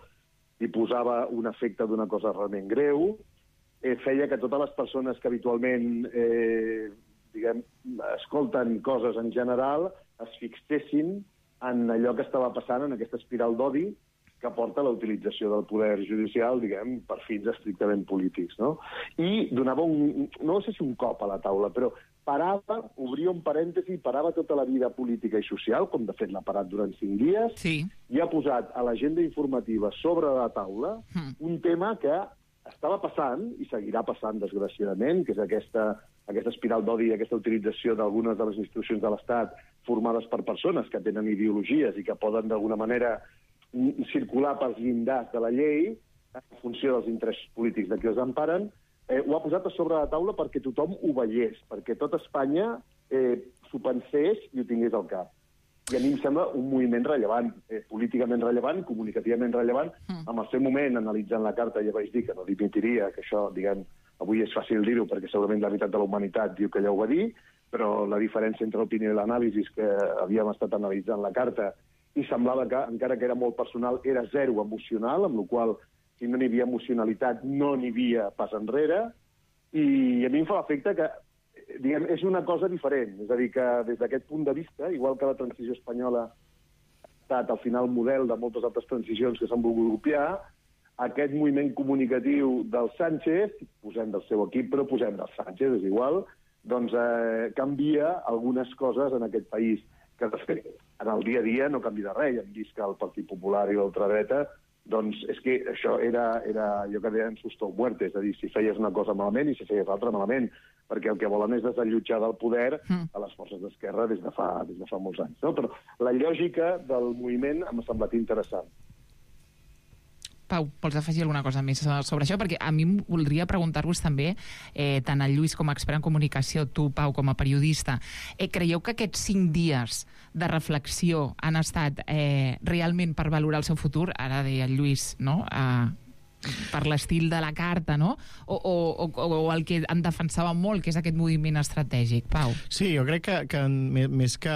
J: i posava un efecte d'una cosa realment greu, eh, feia que totes les persones que habitualment eh, diguem, escolten coses en general, es fixessin en allò que estava passant, en aquesta espiral d'odi que porta a la utilització del poder judicial, diguem, per fins estrictament polítics, no? I donava un, no sé si un cop a la taula, però parava, obria un parèntesi, parava tota la vida política i social, com de fet l'ha parat durant cinc dies,
G: sí.
J: i ha posat a l'agenda informativa sobre la taula mm. un tema que estava passant, i seguirà passant, desgraciadament, que és aquesta, aquesta espiral d'odi i aquesta utilització d'algunes de les institucions de l'Estat formades per persones que tenen ideologies i que poden, d'alguna manera, circular pels llindars de la llei en funció dels interessos polítics de qui els emparen. Eh, ho ha posat a sobre la taula perquè tothom ho veiés, perquè tot Espanya eh, s'ho pensés i ho tingués al cap. I a mi em sembla un moviment rellevant, eh, políticament rellevant, comunicativament rellevant. Mm. En el seu moment, analitzant la carta, ja vaig dir que no dimitiria, que això, diguem, avui és fàcil dir-ho perquè segurament la meitat de la humanitat diu que ella ho va dir, però la diferència entre l'opinió i l'anàlisi és que havíem estat analitzant la carta i semblava que, encara que era molt personal, era zero emocional, amb la qual cosa, si no n'hi havia emocionalitat, no n'hi havia pas enrere, i a mi em fa l'efecte que, diguem, és una cosa diferent. És a dir, que des d'aquest punt de vista, igual que la transició espanyola ha estat al final model de moltes altres transicions que s'han volgut copiar, aquest moviment comunicatiu del Sánchez, posem del seu equip, però posem del Sánchez, és igual, doncs eh, canvia algunes coses en aquest país, que de fet, en el dia a dia no canvia de res. Hem vist que el Partit Popular i l'ultradreta, doncs és que això era, era allò que deien susto o muerte, és a dir, si feies una cosa malament i si feies l'altra malament, perquè el que volen és desallotjar del poder a les forces d'esquerra des de fa, des de fa molts anys. No? Però la lògica del moviment m'ha semblat interessant.
G: Pau, vols afegir alguna cosa més sobre això? Perquè a mi voldria preguntar-vos també, eh, tant el Lluís com a expert en comunicació, tu, Pau, com a periodista, eh, creieu que aquests cinc dies de reflexió han estat eh, realment per valorar el seu futur? Ara deia el Lluís, no?, eh, per l'estil de la carta, no? O, o, o, o el que en defensava molt, que és aquest moviment estratègic. Pau.
H: Sí, jo crec que, que més que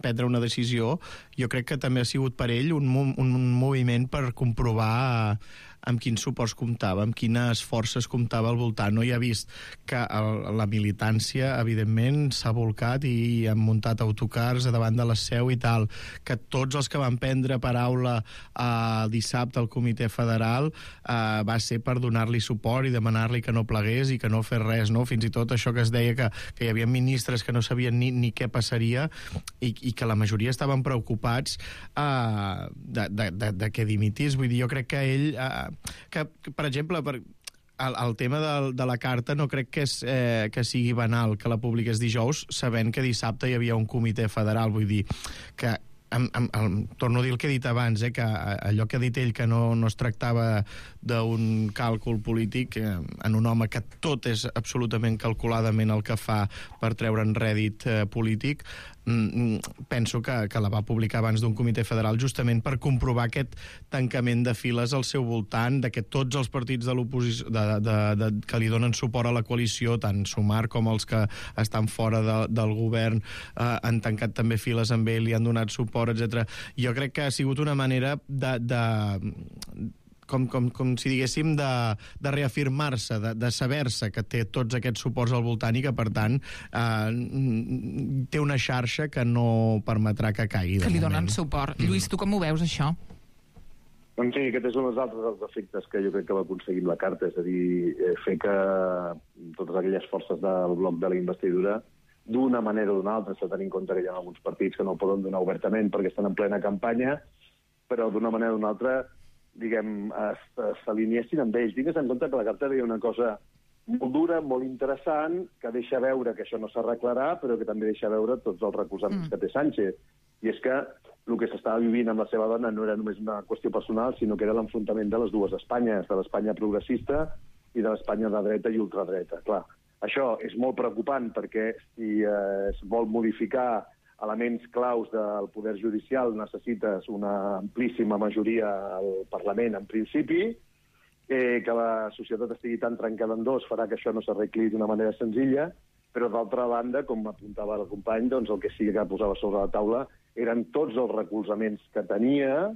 H: prendre una decisió, jo crec que també ha sigut per ell un, un, un moviment per comprovar amb quins suports comptava, amb quines forces comptava al voltant. No? I ha vist que el, la militància, evidentment, s'ha volcat i han muntat autocars a davant de la seu i tal, que tots els que van prendre paraula eh, dissabte al Comitè Federal eh, va ser per donar-li suport i demanar-li que no plegués i que no fes res, no? Fins i tot això que es deia que, que hi havia ministres que no sabien ni, ni què passaria i, i que la majoria estaven preocupats eh, de, de, de, de que dimitís. Vull dir, jo crec que ell... Eh, Que, que, per exemple, per, el, el tema de, de la carta no crec que, és, eh, que sigui banal que la publiqués dijous, sabent que dissabte hi havia un comitè federal. Vull dir que Em, em, em, torno a dir el que he dit abans, eh, que allò que ha dit ell, que no, no es tractava d'un càlcul polític eh, en un home que tot és absolutament calculadament el que fa per treure'n rèdit eh, polític, mm, penso que, que la va publicar abans d'un comitè federal justament per comprovar aquest tancament de files al seu voltant, de que tots els partits de l'oposició de, de, de, que li donen suport a la coalició, tant Sumar com els que estan fora de, del govern, eh, han tancat també files amb ell i han donat suport, etcètera. Jo crec que ha sigut una manera de... de com, com, com si diguéssim, de, de reafirmar-se, de, de saber-se que té tots aquests suports al voltant i que, per tant, eh, té una xarxa que no permetrà que caigui.
G: Que li donen suport. Mm. Lluís, tu com ho veus, això?
J: Doncs sí, aquest és un dels altres dels efectes que jo crec que va aconseguir la carta, és a dir, fer que totes aquelles forces del bloc de la investidura, d'una manera o d'una altra, s'ha de tenir en compte que hi ha alguns partits que no ho poden donar obertament perquè estan en plena campanya, però d'una manera o d'una altra, diguem, s'alineessin amb ells. Digues en compte que la carta deia una cosa molt dura, molt interessant, que deixa veure que això no s'arreglarà, però que també deixa veure tots els recolzaments mm. que té Sánchez. I és que el que s'estava vivint amb la seva dona no era només una qüestió personal, sinó que era l'enfrontament de les dues Espanyes, de l'Espanya progressista i de l'Espanya de dreta i ultradreta. Clar, això és molt preocupant perquè si eh, es vol modificar elements claus del poder judicial necessites una amplíssima majoria al Parlament, en principi, eh, que la societat estigui tan trencada en dos farà que això no s'arregli d'una manera senzilla, però d'altra banda, com apuntava el company, doncs el que sí que posava sobre la taula eren tots els recolzaments que tenia,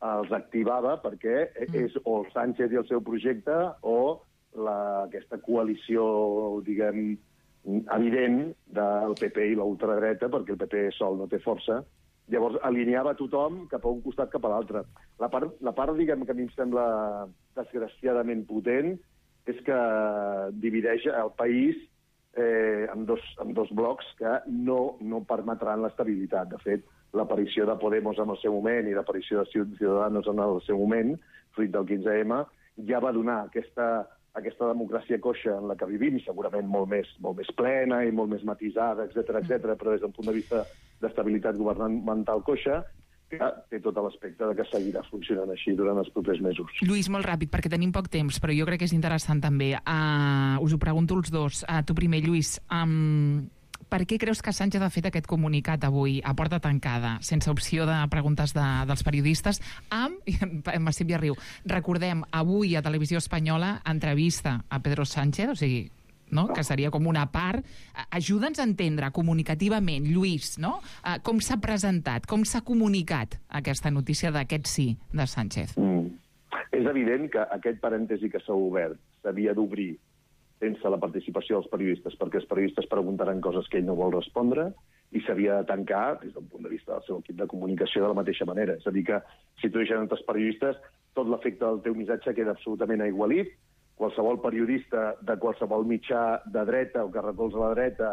J: els activava perquè és o el Sánchez i el seu projecte o la, aquesta coalició, diguem, evident del P P i l'ultradreta, perquè el P P sol no té força. Llavors, alineava tothom cap a un costat cap a l'altre. La part, la part, diguem, que a mi em sembla desgraciadament potent és que divideix el país eh, amb, dos, amb dos blocs que no, no permetran l'estabilitat. De fet, l'aparició de Podemos en el seu moment i l'aparició de Ciudadanos en el seu moment, fruit del quinze eme, ja va donar aquesta, aquesta democràcia coixa en la que vivim, segurament molt més, molt més plena i molt més matisada, etcètera, etcètera, però des d'un punt de vista d'estabilitat governamental coixa, que té tot l'aspecte de que seguirà funcionant així durant els propers mesos.
G: Lluís, molt ràpid, perquè tenim poc temps, però jo crec que és interessant també. Uh, us ho pregunto els dos. Uh, tu primer, Lluís, um, per què creus que Sánchez ha fet aquest comunicat avui a porta tancada, sense opció de preguntes de, dels periodistes, amb, Massip ja riu, recordem, avui a Televisió Espanyola, entrevista a Pedro Sánchez, o sigui, no? Que seria com una part. Ajuda'ns a entendre comunicativament, Lluís, no? Uh, com s'ha presentat, com s'ha comunicat aquesta notícia d'aquest sí de Sánchez.
J: Mm. És evident que aquest parèntesi que s'ha obert s'havia d'obrir sense la participació dels periodistes, perquè els periodistes preguntaran coses que ell no vol respondre i s'havia de tancar des d'un punt de vista del seu equip de comunicació de la mateixa manera. És a dir que si tu deixes entre els periodistes, tot l'efecte del teu missatge queda absolutament aigualit. Qualsevol periodista de qualsevol mitjà de dreta o que recolza la dreta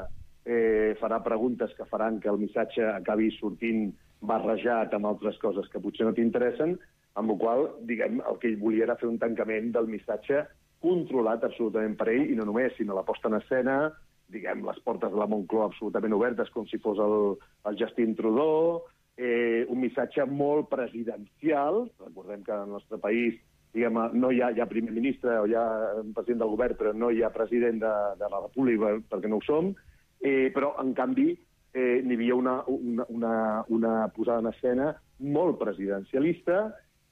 J: eh, farà preguntes que faran que el missatge acabi sortint barrejat amb altres coses que potser no t'interessen, amb la qual cosa, diguem, el que ell volia era fer un tancament del missatge controlat absolutament per ell, i no només, sinó la posta en escena, diguem, les portes de la Moncloa absolutament obertes com si fos el, el Justin Trudeau, eh, un missatge molt presidencial. Recordem que en el nostre país diguem, no hi ha, hi ha primer ministre o hi ha president del govern, però no hi ha president de, de la República, perquè no ho som, eh, però, en canvi, eh, n'hi havia una, una, una, una posada en escena molt presidencialista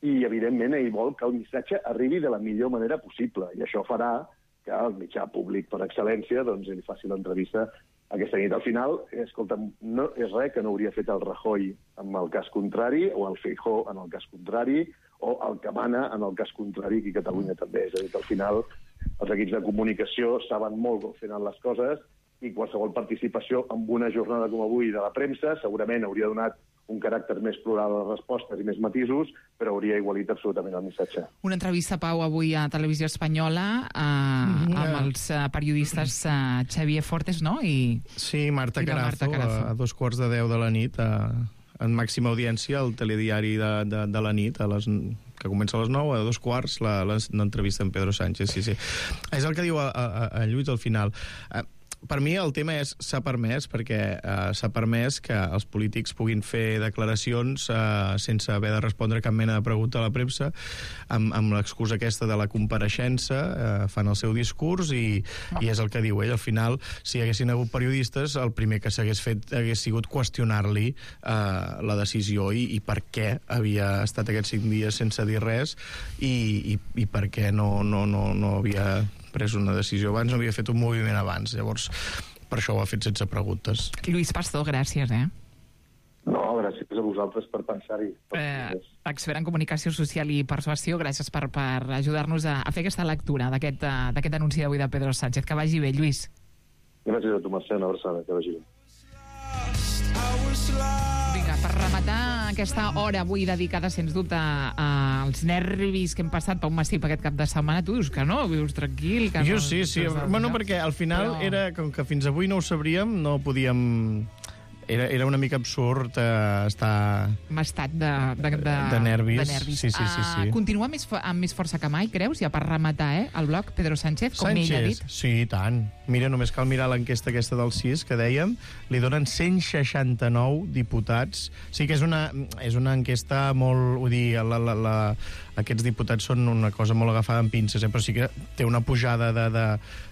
J: i, evidentment, ell vol que el missatge arribi de la millor manera possible, i això farà que el mitjà públic per excel·lència doncs, li faci l'entrevista aquesta nit. Al final, escolta, no és res que no hauria fet el Rajoy en el cas contrari, o el Feijóo en el cas contrari, o el que mana en el cas contrari aquí a Catalunya també. És a dir, que al final els equips de comunicació saben molt com fan les coses i qualsevol participació en una jornada com avui de la premsa segurament hauria donat un caràcter més plural a les respostes i més matisos, però hauria igualit absolutament el missatge.
G: Una entrevista, Pau, avui a Televisió Espanyola eh, amb els eh, periodistes eh, Xavier Fortes, no? I,
H: sí, Marta
G: i
H: Carazo,
G: Marta Carazo.
H: A, a dos quarts de deu de la nit, a, en màxima audiència, al telediari de, de, de la nit, a les, que comença a les nou, a dos quarts, l'entrevista amb Pedro Sánchez. Sí, sí. És el que diu a, a, a Lluís al final. Eh, Per mi el tema és s'ha permès, perquè eh, s'ha permès que els polítics puguin fer declaracions eh, sense haver de respondre cap mena de pregunta a la premsa, amb, amb l'excusa aquesta de la compareixença, eh, fan el seu discurs i, i és el que diu ell. Al final, si hi haguessin hagut periodistes, el primer que s'hagués fet hagués sigut qüestionar-li eh, la decisió i, i per què havia estat aquests cinc dies sense dir res i, i, i per què no, no, no, no havia pres una decisió abans, no havia fet un moviment abans. Llavors, per això ho ha fet sense preguntes.
G: Lluís Pastor, gràcies, eh?
J: No, gràcies a vosaltres per pensar-hi.
G: Eh, expert en comunicació social i persuasió, gràcies per, per ajudar-nos a, a fer aquesta lectura d'aquest anunci d'avui de Pedro Sánchez. Que vagi bé, Lluís.
J: Gràcies a tu, Mercè, una abraçada, que vagi bé.
G: Vinga, per rematar aquesta hora avui dedicada, sens dubte, als nervis que hem passat Pau Massip aquest cap de setmana, tu dius que no, vius tranquil, que
H: jo
G: no...
H: sí, sí, bueno, perquè al final
G: Però...
H: era, com que fins avui no ho sabríem, no podíem... Era, era una mica absurd eh, estar...
G: M'ha estat de, de, de,
H: de nervis.
G: De nervis.
H: Sí, sí, sí, sí.
G: Uh, continua més, amb més força que mai, creus? Ja per rematar, eh, el bloc, Pedro Sánchez, com
H: Sánchez,
G: ell ha dit.
H: sí, i tant. Mira, només cal mirar l'enquesta aquesta del sis, que dèiem, li donen cent seixanta-nou diputats. Sí que és una, és una enquesta molt... Vull dir, la, la, la, aquests diputats són una cosa molt agafada amb pinces, eh? Però sí que té una pujada de... de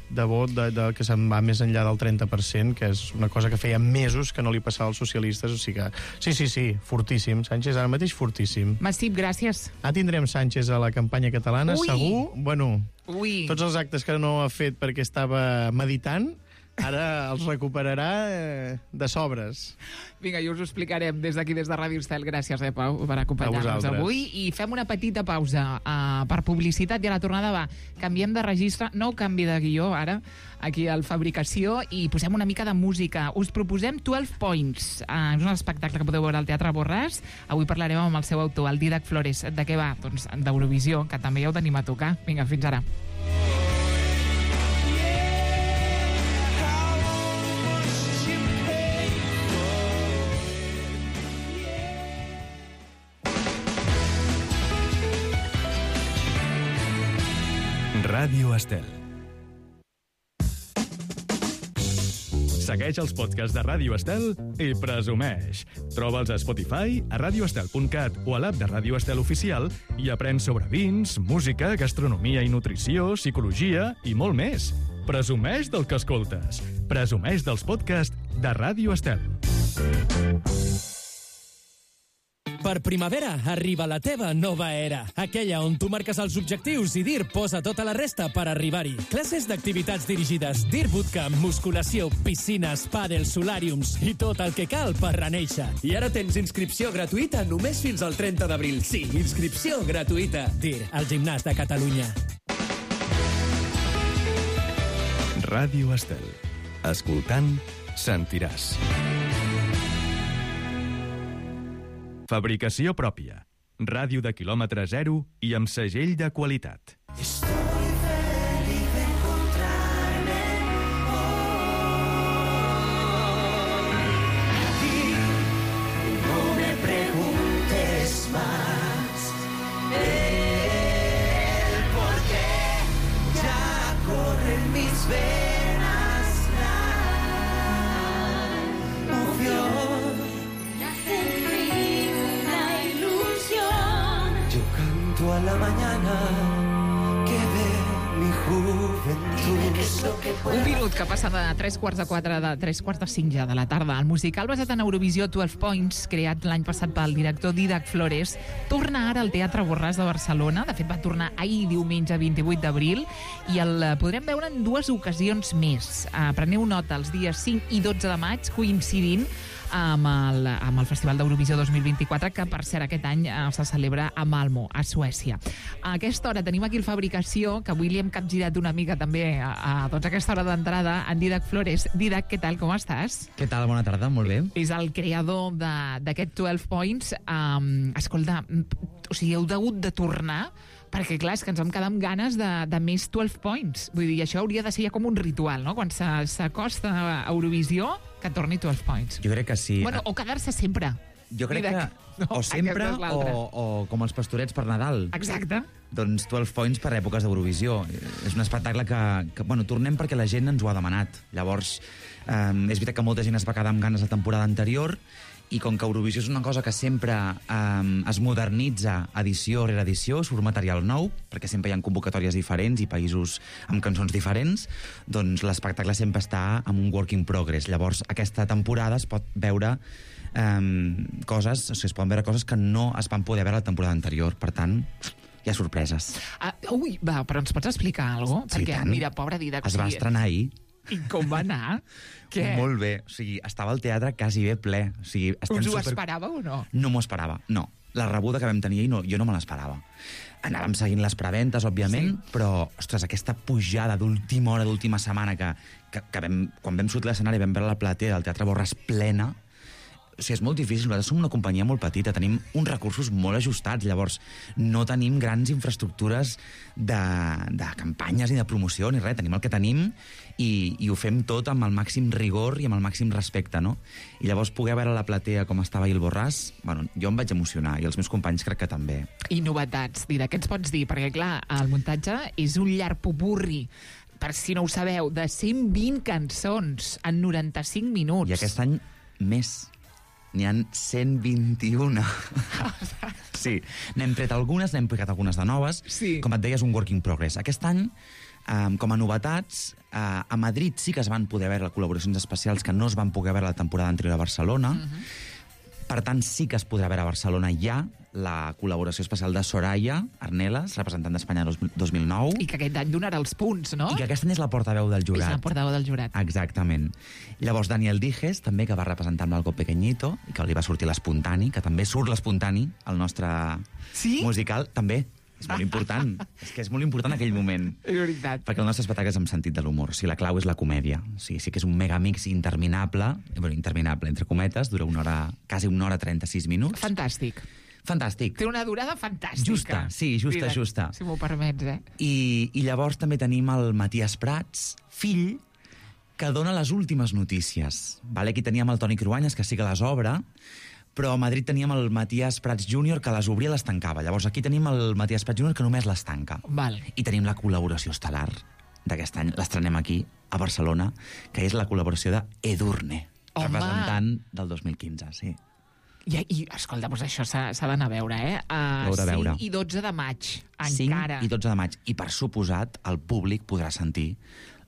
H: de vot de, de, que se'n va més enllà del trenta per cent, que és una cosa que feia mesos que no li passava als socialistes, o sigui que... Sí, sí, sí, fortíssim. Sánchez ara mateix fortíssim.
G: Massip, gràcies.
H: Ah, tindrem Sánchez a la campanya catalana,
G: Ui.
H: segur. Bueno,
G: Ui.
H: tots els actes que no ha fet perquè estava meditant, ara els recuperarà eh, de sobres.
G: Vinga, i us ho explicarem des d'aquí, des de Ràdio Estel. Gràcies, eh, Pau, per acompanyar-nos
H: vosaltres.
G: avui. I fem una petita pausa uh, per publicitat i a la tornada va. Canviem de registre, no canvi de guió ara, aquí al Fabricació, i posem una mica de música. Us proposem dotze Points. Uh, és un espectacle que podeu veure al Teatre Borràs. Avui parlarem amb el seu autor, el Dídac Flores. De què va? Doncs d'Eurovisió, que també ja ho tenim a tocar. Vinga, fins ara.
A: Ràdio Estel. Segueix els podcasts de Ràdio Estel i presumeix. Troba'ls a Spotify, a radioestel punt cat o a l'app de Ràdio Estel Oficial i aprèn sobre vins, música, gastronomia i nutrició, psicologia i molt més. Presumeix del que escoltes. Presumeix dels podcasts de Ràdio Estel.
K: Per primavera arriba la teva nova era, aquella on tu marques els objectius i D I R posa tota la resta per arribar-hi. Classes d'activitats dirigides, D I R Bootcamp, musculació, piscines, pàdel, solàriums i tot el que cal per renéixer. I ara tens inscripció gratuïta només fins al trenta d'abril. Sí, inscripció gratuïta. D I R, el gimnàs de Catalunya.
A: Ràdio Estel. Escoltant, sentiràs. Fabricació pròpia. Ràdio de quilòmetre zero i amb segell de qualitat.
L: Estoy feliz de encontrarme aquí. No me preguntes más el por qué ya corren mis venas la emoción. A la mañana que ve mi juventud.
G: Un minut que passa de tres quarts de quatre, de tres quarts de cinc ja de la tarda. El musical basat en Eurovisió dotze Points, creat l'any passat pel director Dídac Flores, torna ara al Teatre Borràs de Barcelona. De fet, va tornar ahir, diumenge vint-i-vuit d'abril, i el podrem veure en dues ocasions més. Preneu nota, els dies cinc i dotze de maig, coincidint amb el, amb el Festival d'Eurovisió dos mil vint-i-quatre, que per cert aquest any eh, se celebra a Malmö, a Suècia. A aquesta hora tenim aquí el Fabricació, que avui li hem capgirat una mica també a, a, doncs, a aquesta hora d'entrada, en Dídac Flores. Dídac, què tal, com estàs?
M: Què tal, bona tarda, molt bé.
G: És el creador d'aquest dotze Points. Um, escolta, o sigui, heu hagut de tornar perquè, clar, és que ens vam quedar amb ganes de, de més dotze Points. Vull dir, això hauria de ser ja com un ritual, no? Quan s'acosta a Eurovisió, que torni dotze Points.
M: Jo crec que sí.
G: Bueno, o quedar-se sempre.
M: Jo crec que
G: no,
M: o sempre o, o com els pastorets per Nadal.
G: Exacte.
M: Doncs dotze Points per èpoques d'Eurovisió. És un espectacle que, que... Bueno, tornem perquè la gent ens ho ha demanat. Llavors, eh, és veritat que molta gent es va quedar amb ganes la temporada anterior, i com que Eurovisió és una cosa que sempre eh, es modernitza edició rere edició, surt material nou, perquè sempre hi ha convocatòries diferents i països amb cançons diferents, doncs l'espectacle sempre està en un work in progress. Llavors, aquesta temporada es pot veure eh, coses, o sigui, es poden veure coses que no es van poder veure la temporada anterior. Per tant, hi ha sorpreses.
G: Ah, ui, va, però ens pots explicar alguna cosa?
M: Sí,
G: perquè,
M: tant.
G: mira, pobra Dídac...
M: Es va estrenar ahir.
G: I com va anar? Què?
M: Molt bé. O sigui, estava al teatre quasi bé ple. O sigui,
G: us ho super... esperàveu o no?
M: No m'ho esperava, no. La rebuda que vam tenir ahir, no, jo no me l'esperava. Anàvem seguint les preventes, òbviament, sí. Però, ostres, aquesta pujada d'última hora, d'última setmana, que, que, que vam, quan vam sortir a l'escenari vam veure la platea del Teatre Borràs plena, o sigui, és molt difícil. Nosaltres som una companyia molt petita, tenim uns recursos molt ajustats, llavors no tenim grans infraestructures de, de campanyes ni de promoció ni res, tenim el que tenim i, i ho fem tot amb el màxim rigor i amb el màxim respecte, no? I llavors poder veure la platea com estava ahir el Borràs, bueno, jo em vaig emocionar i els meus companys crec que també.
G: I novetats, Dida, què ens pots dir? Perquè, clar, el muntatge és un llarg popurri, per si no ho sabeu, de cent vint cançons en noranta-cinc minuts.
M: I aquest any més. N'hi ha cent vint-i-un. Sí, n'hem tret algunes, n'hem picat algunes de noves.
G: Sí.
M: Com et deia, és un work in progress. Aquest any, eh, com a novetats, eh, a Madrid sí que es van poder veure col·laboracions especials que no es van poder veure la temporada anterior a Barcelona. Uh-huh. Per tant, sí que es podrà veure a Barcelona ja la col·laboració especial de Soraya Arnelas, representant d'Espanya dos mil nou.
G: I que aquest any donarà els punts, no?
M: I que aquest any és la portaveu del jurat.
G: És la portaveu del jurat.
M: Exactament. Llavors, Daniel Dijes, també, que va representar amb l'Algo Pequeñito, i que li va sortir l'Espontani, que també surt l'Espontani, el nostre
G: sí?
M: musical, també. És molt important. És que és molt important aquell moment.
G: És veritat.
M: Perquè el nostre espectacle és amb sentit de l'humor. O sigui, la clau és la comèdia. O sigui, sí que és un megamix interminable, bueno, interminable, entre cometes, dura una hora, quasi una hora trenta-sis minuts.
G: Fantàstic.
M: Fantàstic.
G: Té una durada fantàstica.
M: Justa, sí, justa,
G: Mira,
M: justa.
G: Si m'ho permets, eh?
M: I, I llavors també tenim el Matías Prats, fill, que dona les últimes notícies. Vale? Aquí teníem el Toni Cruanyes, que sí que les obre, però a Madrid teníem el Matías Prats júnior que les obria i les tancava. Llavors aquí tenim el Matías Prats júnior que només les tanca.
G: Val.
M: I tenim la col·laboració estel·lar d'aquest any, l'estrenem aquí, a Barcelona, que és la col·laboració de Edurne,
G: Home.
M: representant del dos mil quinze, sí.
G: I, i escolta, doncs això s'ha d'anar a veure, eh? Uh,
M: Heu de veure.
G: cinc i dotze de maig,
M: cinc
G: encara.
M: i dotze de maig. I, per suposat, el públic podrà sentir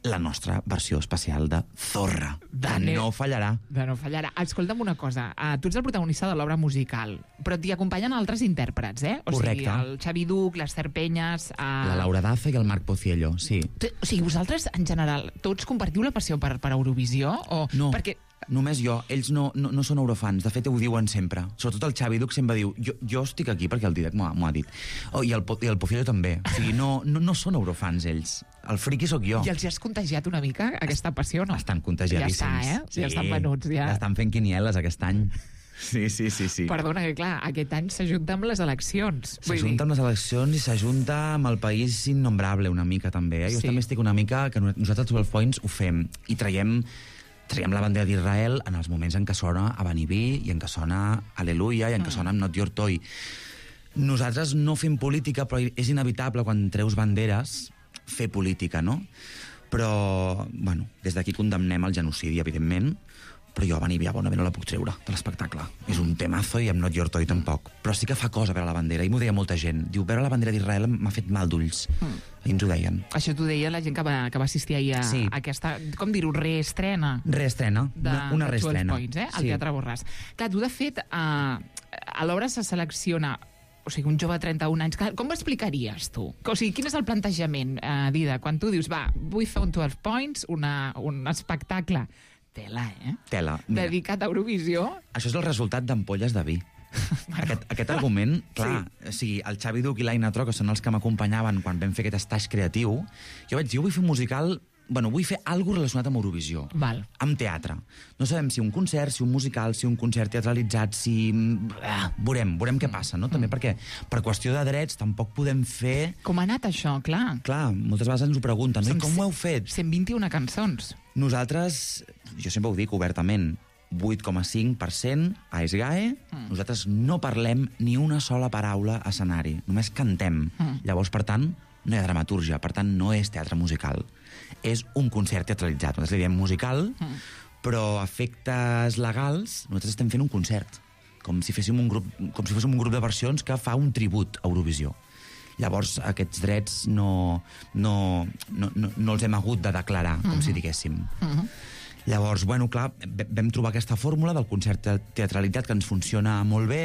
M: la nostra versió especial de Zorra,
G: De
M: que
G: neu.
M: no fallarà.
G: De no fallarà. Escolta'm una cosa, uh, tu ets el protagonista de l'obra musical, però t'hi acompanyen altres intèrprets, eh? O
M: Correcte.
G: sigui, el Xavi Duc, l'Ester Penyes... Uh...
M: La Laura Daza i el Marc Pociello, sí.
G: T- O sigui, vosaltres, en general, tots compartiu la passió per, per Eurovisió? O...
M: No,
G: Perquè...
M: només jo. Ells no, no, no són eurofans. De fet, ho diuen sempre. Sobretot el Xavi Duc sempre diu jo, jo estic aquí perquè el Dídac m'ho ha, m'ho ha dit. Oh, I el, Po- i el Pociello també. O sigui, no, no, no són eurofans, ells. El friqui sóc jo.
G: I els has contagiat una mica aquesta passió, no?
M: Estan contagiadíssims.
G: Ja està, eh? Ja estan venuts, ja.
M: Ja estan fent quinieles aquest any. Sí, sí, sí, sí.
G: Perdona, que clar, aquest any s'ajunta amb les eleccions. Vull dir-
M: S'ajunta amb les eleccions i s'ajunta amb el país innombrable una mica, també. Eh? Jo
G: Sí.
M: també estic una mica... que nosaltres, els twelve Points, ho fem i traiem, traiem la bandera d'Israel en els moments en què sona Abanibí i en què sona Aleluia i en què
G: Mm.
M: sona I'm Not Your Toy. Nosaltres no fem política, però és inevitable quan treus banderes fer política, no? Però, bueno, des d'aquí condemnem el genocidi, evidentment, però jo a Abanibí a Bona no la puc treure de l'espectacle. És un temazo i I'm Not Your Toy tampoc. Però sí que fa cosa veure la bandera, i m'ho deia molta gent. Diu, veure la bandera d'Israel m'ha fet mal d'ulls.
G: Mm.
M: Ahir ens ho deien.
G: Això t'ho deia la gent que va, que va assistir ahir a,
M: Sí.
G: a aquesta, com dir-ho, reestrena.
M: Reestrena,
G: de,
M: una, una
G: de twelve
M: reestrena.
G: Points, eh? Al
M: Sí.
G: Teatre Borràs. Clar, tu, de fet, a, a l'obra se selecciona o sigui, un jove de trenta-un anys. Clar, com ho explicaries, tu? O sigui, quin és el plantejament, eh, Dida, quan tu dius, va, vull fer un twelve Points, una, un espectacle, tela, eh?
M: Tela. Mira,
G: Dedicat a Eurovisió.
M: això és el resultat d'ampolles de vi. Aquest, aquest argument, clar, sí. O sigui, el Xavi Duc i l'Aina Tro, que són els que m'acompanyaven quan vam fer aquest estatge creatiu, jo vaig dir, jo vull fer un musical, bueno, vull fer alguna relacionat amb Eurovisió.
G: Val.
M: Amb teatre. No sabem si un concert, si un musical, si un concert teatralitzat, si... Ah, veurem, veurem què passa, no? També perquè, per qüestió de drets, tampoc podem fer...
G: Com ha anat això, clar?
M: Clar, moltes vegades ens ho pregunten, no? I com ho heu fet?
G: cent vint-i-una cançons.
M: Nosaltres, jo sempre ho dic obertament, vuit coma cinc per cent a SGAE, mm. nosaltres no parlem ni una sola paraula a escenari, només cantem.
G: Mm.
M: Llavors, per tant, no hi ha dramatúrgia, per tant, no és teatre musical. És un concert teatralitzat. Nosaltres li diem musical, mm. però a efectes legals, nosaltres estem fent un concert, com si féssim un grup, com si fóssim un grup de versions que fa un tribut a Eurovisió. Llavors, aquests drets no, no, no, no, no els hem hagut de declarar, com
G: Mm-hmm.
M: si diguéssim.
G: Mm-hmm.
M: Llavors, bueno, clar, vam trobar aquesta fórmula del concert teatralitzat que ens funciona molt bé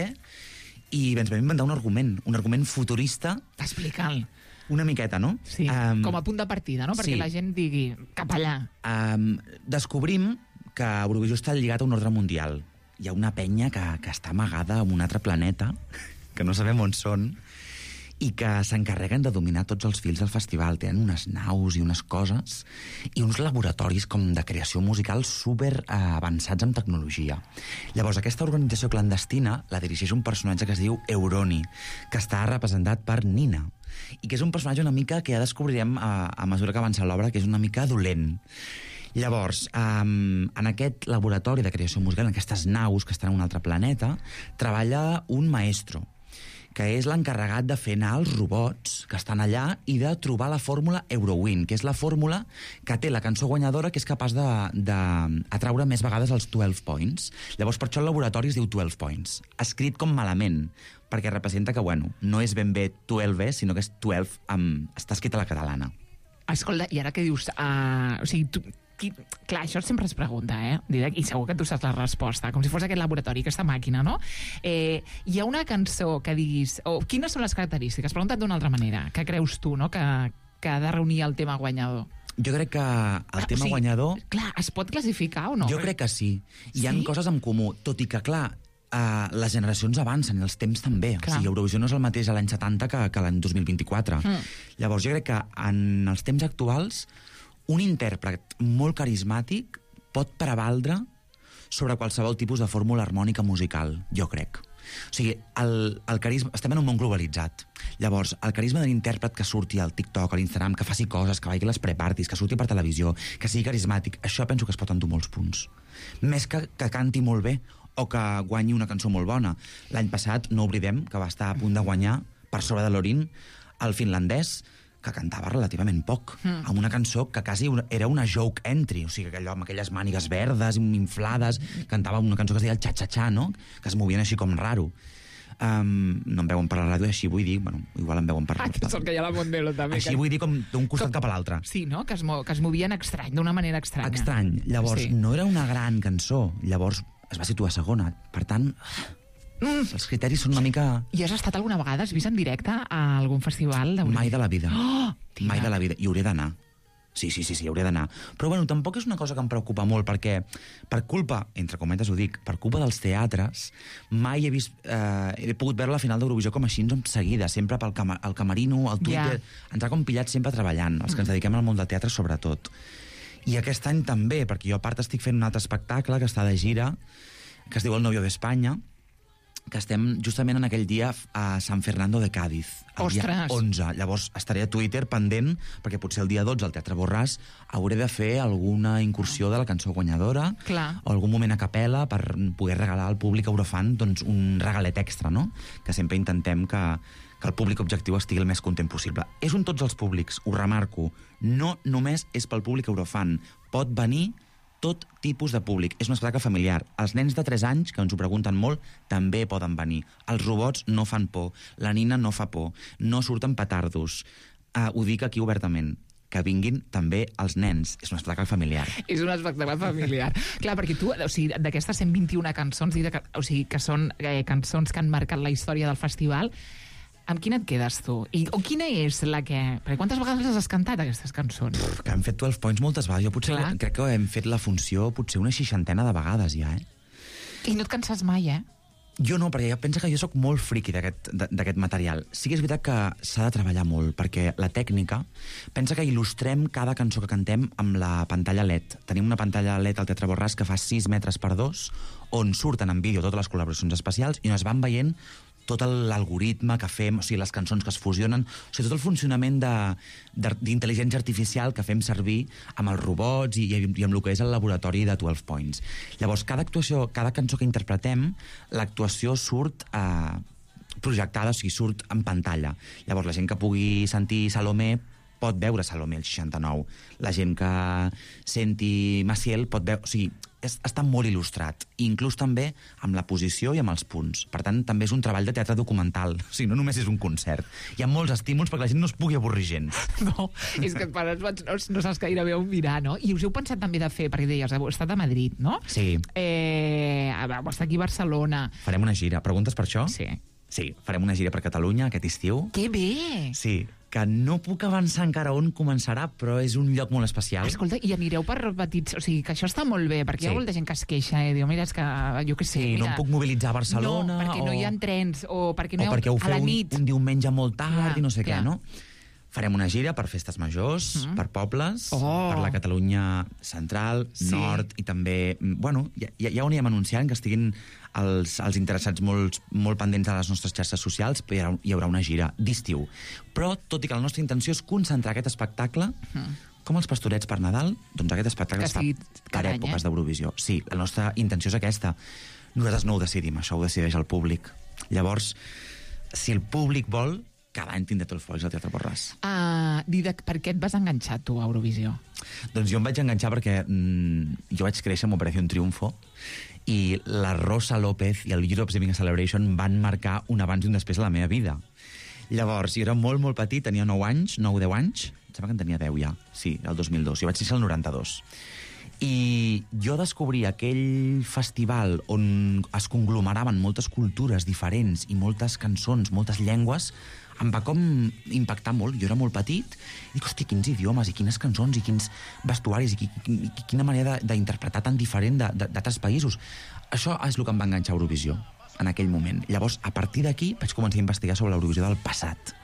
M: i ens vam inventar un argument, un argument futurista.
G: Explica'l.
M: Una miqueta, no?
G: Sí, um, com a punt de partida, no? Perquè
M: sí.
G: la gent digui, cap allà.
M: Um, descobrim que Eurovisió està lligat a un ordre mundial. Hi ha una penya que, que està amagada en un altre planeta, que no sabem on són, i que s'encarreguen de dominar tots els fils del festival. Tenen unes naus i unes coses i uns laboratoris com de creació musical super eh, avançats en tecnologia. Llavors, aquesta organització clandestina la dirigeix un personatge que es diu Euroni, que està representat per Nina, i que és un personatge una mica que ja descobrirem a, a mesura que avança l'obra, que és una mica dolent. Llavors, um, en aquest laboratori de creació musical, en aquestes naus que estan en un altre planeta, treballa un maestro, que és l'encarregat de fer anar els robots que estan allà i de trobar la fórmula Eurowin, que és la fórmula que té la cançó guanyadora que és capaç d'atraure més vegades els twelve Points. Llavors, per això el laboratori es diu twelve Points. Escrit com malament, perquè representa que, bueno, no és ben bé twelve, sinó que és twelve, amb... està escrit a la catalana.
G: Escolta, i ara què dius? Uh, o sigui, tu... Qui, clar, això sempre es pregunta, eh? Didac, i segur que tu saps la resposta, com si fos aquest laboratori, aquesta màquina, no? Eh, hi ha una cançó que diguis... O quines són les característiques? Pregunta't d'una altra manera. Què creus tu, no?, que, que ha de reunir el tema guanyador?
M: Jo crec que el
G: Ah,
M: tema
G: o sigui,
M: guanyador...
G: Clar, es pot classificar o no?
M: Jo crec que sí. Hi ha
G: Sí?
M: coses en comú, tot i que, clar, Uh, les generacions avancen i els temps també.
G: Clar.
M: O sigui, Eurovisió no és el mateix a l'any setanta que, que l'any dos mil vint-i-quatre.
G: Mm.
M: Llavors, jo crec que en els temps actuals un intèrpret molt carismàtic pot prevaldre sobre qualsevol tipus de fórmula harmònica musical, jo crec. O sigui, el, el carisma... Estem en un món globalitzat. Llavors, el carisma de l'intèrpret que surti al TikTok, a l'Instagram, que faci coses, que vagi a les pre-parties, que surti per televisió, que sigui carismàtic, això penso que es pot endur molts punts. Més que, que canti molt bé o que guanyi una cançó molt bona. L'any passat, no oblidem, que va estar a punt de guanyar, per sobre de l'Orin, el finlandès, que cantava relativament poc, mm. amb una cançó que quasi era una joke entry, o sigui, allò amb aquelles mànigues verdes, inflades, cantava una cançó que es deia el xa-xa-xa, no?, que es movien així com raro. Um, no em veuen per la ràdio, així vull dir, bueno, igual em veuen per la ràdio.
G: Aquest és el que hi ha a la Mondelo, també.
M: Així que... vull dir com d'un costat com... cap a l'altre.
G: Sí, no?, que es, mo que es movien estrany, d'una manera estranya.
M: Estrany. Llavors, sí. no era una gran cançó, llavors es va situar segona, per tant... Mm. Els criteris són una mica...
G: I has estat alguna vegada, has vist en directe a algun festival?
M: Mai de la vida. Oh, Mai de la vida. I hauré d'anar. Sí, sí, sí, sí, hauré d'anar. Però, bueno, tampoc és una cosa que em preocupa molt, perquè, per culpa, entre cometes ho dic, per culpa dels teatres, mai he vist... Eh, he pogut veure la final d'Eurovisió com així, en seguida, sempre pel cama, el camerino, el Twitter... Yeah. Ens ha com pillat sempre treballant, els que ens dediquem al món del teatre, sobretot. I aquest any també, perquè jo a part estic fent un altre espectacle que està de gira, que es diu El novio d'Espanya, que estem justament en aquell dia a San Fernando de Cádiz, el
G: Ostres.
M: dia onze. Llavors estaré a Twitter pendent, perquè potser el dia dotze al Teatre Borràs hauré de fer alguna incursió de la cançó guanyadora,
G: Clar.
M: o algun moment a capella per poder regalar al públic eurofan doncs, un regalet extra, no? Que sempre intentem que, que el públic objectiu estigui el més content possible. És un tots els públics, ho remarco. No només és pel públic eurofan. Pot venir tot tipus de públic. És un espectacle familiar. Els nens de tres anys, que ens ho pregunten molt, també poden venir. Els robots no fan por. La nina no fa por. No surten petardos. Uh, ho dic aquí obertament. Que vinguin també els nens. És un espectacle familiar.
G: És un espectacle familiar. Clar, perquè tu, o sigui, d'aquestes cent vint-i-una cançons, o sigui, que són eh, cançons que han marcat la història del festival, amb quina et quedes tu? I, o quina és la que... Perquè quantes vegades les has cantat, aquestes cançons?
M: Pff, que hem fet dotze points moltes vegades. Jo potser Clar. crec que hem fet la funció potser una seixantena de vegades ja, eh?
G: I no et canses mai, eh?
M: Jo no, perquè jo penso que jo sóc molt friqui d'aquest material. Sí que és veritat que s'ha de treballar molt, perquè la tècnica... Pensa que il·lustrem cada cançó que cantem amb la pantalla L E D. Tenim una pantalla L E D al Teatre Borràs que fa sis metres per dos, on surten en vídeo totes les col·laboracions especials i on es van veient tot l'algoritme que fem, o sigui, les cançons que es fusionen, o sigui, tot el funcionament d'intel·ligència artificial que fem servir amb els robots i, i amb el que és el laboratori de dotze points. Llavors, cada actuació, cada cançó que interpretem, l'actuació surt eh, projectada, o sigui, surt en pantalla. Llavors, la gent que pugui sentir Salomé pot veure Salomé el seixanta-nou. La gent que senti Maciel pot veure... O sigui, és, està molt il·lustrat, inclús també amb la posició i amb els punts. Per tant, també és un treball de teatre documental. O sigui, no només és un concert. Hi ha molts estímuls perquè la gent no es pugui avorrir gens.
G: No, és que per no, no saps gaire bé on mirar, no? I us heu pensat també de fer, perquè deies, heu estat a Madrid, no?
M: Sí.
G: Eh, heu estat aquí a Barcelona.
M: Farem una gira. Preguntes per això?
G: Sí.
M: Sí, farem una gira per Catalunya aquest estiu.
G: Que bé!
M: Sí, que no puc avançar encara on començarà, però és un lloc molt especial.
G: Escolta, i anireu per petits... O sigui, que això està molt bé, perquè sí. Hi ha molta gent que es queixa, eh? Diu, mira, és que jo què sé...
M: Sí,
G: mira,
M: no em puc mobilitzar a Barcelona...
G: No, perquè
M: o...
G: no hi ha trens, o perquè no
M: o
G: hi ha...
M: perquè ho
G: a la
M: feu
G: nit.
M: Un, un diumenge molt tard
G: clar,
M: i no sé
G: clar.
M: què, no? Farem una gira per festes majors, mm. per pobles,
G: oh.
M: per la Catalunya central, sí. nord, i també... Bueno, ja, ja ho anirem anunciant, que estiguin els, els interessats molt, molt pendents de les nostres xarxes socials, però hi haurà, hi haurà una gira d'estiu. Però, tot i que la nostra intenció és concentrar aquest espectacle, mm. com els pastorets per Nadal, doncs aquest espectacle està per any, èpoques eh? d'Eurovisió. Sí, la nostra intenció és aquesta. Nosaltres no ho decidim, això ho decideix el públic. Llavors, si el públic vol... cada any tindré tots els focs al Teatre Borràs.
G: Uh, Didac, per què et vas enganxar tu a Eurovisió?
M: Doncs jo em vaig enganxar perquè mm, jo vaig créixer amb Operación Triunfo i la Rosa López i el Europe's Giving a Celebration van marcar un abans i un després a la meva vida. Llavors, jo era molt, molt petit, tenia nou anys, nou, deu anys, em sembla que en tenia deu ja, sí, el dos mil dos, jo vaig néixer el noranta-dos. I jo descobria aquell festival on es conglomeraven moltes cultures diferents i moltes cançons, moltes llengües, em va com impactar molt. Jo era molt petit i dic, hosti, quins idiomes i quines cançons i quins vestuaris i, i, i quina manera d'interpretar tan diferent d'altres països. Això és el que em va enganxar a Eurovisió en aquell moment. Llavors, a partir d'aquí vaig començar a investigar sobre l'Eurovisió del passat.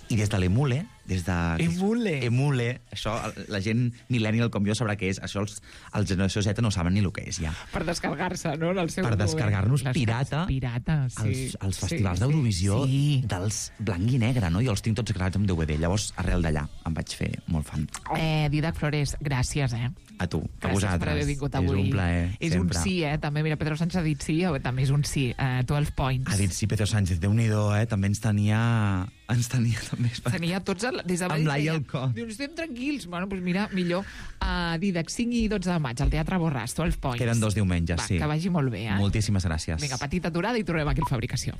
M: I des de l'Emule, des de...
G: Emule.
M: Emule. Això, la gent millennial com jo sabrà què és. Això els, els generació Z no saben ni el que és, ja.
G: Per descarregar-se, no?, en el seu
M: Per
G: moment.
M: descarregar-nos
G: Les
M: pirata,
G: pirata, sí.
M: als, als festivals
G: sí,
M: d'Eurovisió
G: sí.
M: dels blanc i negre, no? Jo els tinc tots gravats amb D V D. Llavors, arrel d'allà, em vaig fer molt fan.
G: Eh, Didac Flores, gràcies, eh?
M: A tu, a
G: Gràcies
M: vosaltres.
G: per haver vingut avui.
M: És un plaer,
G: És
M: sempre.
G: un sí, eh? També, mira, Pedro Sánchez ha dit sí, eh, també és un sí. Uh, dotze points.
M: Ha dit sí, Pedro Sánchez, Déu-n'hi-do, eh? També ens tenia... Ens tenia també...
G: Tenia tots el, des de
M: Amb l'ai al cor.
G: Diu, estem tranquils. Bueno, doncs mira, millor. Uh, Didac, cinc i dotze de maig, al Teatre Borràs, dotze points.
M: Queden dos diumenges,
G: Va,
M: sí.
G: Que vagi molt bé, eh?
M: Moltíssimes gràcies.
G: Vinga, petita aturada i tornem aquí al Fabricació.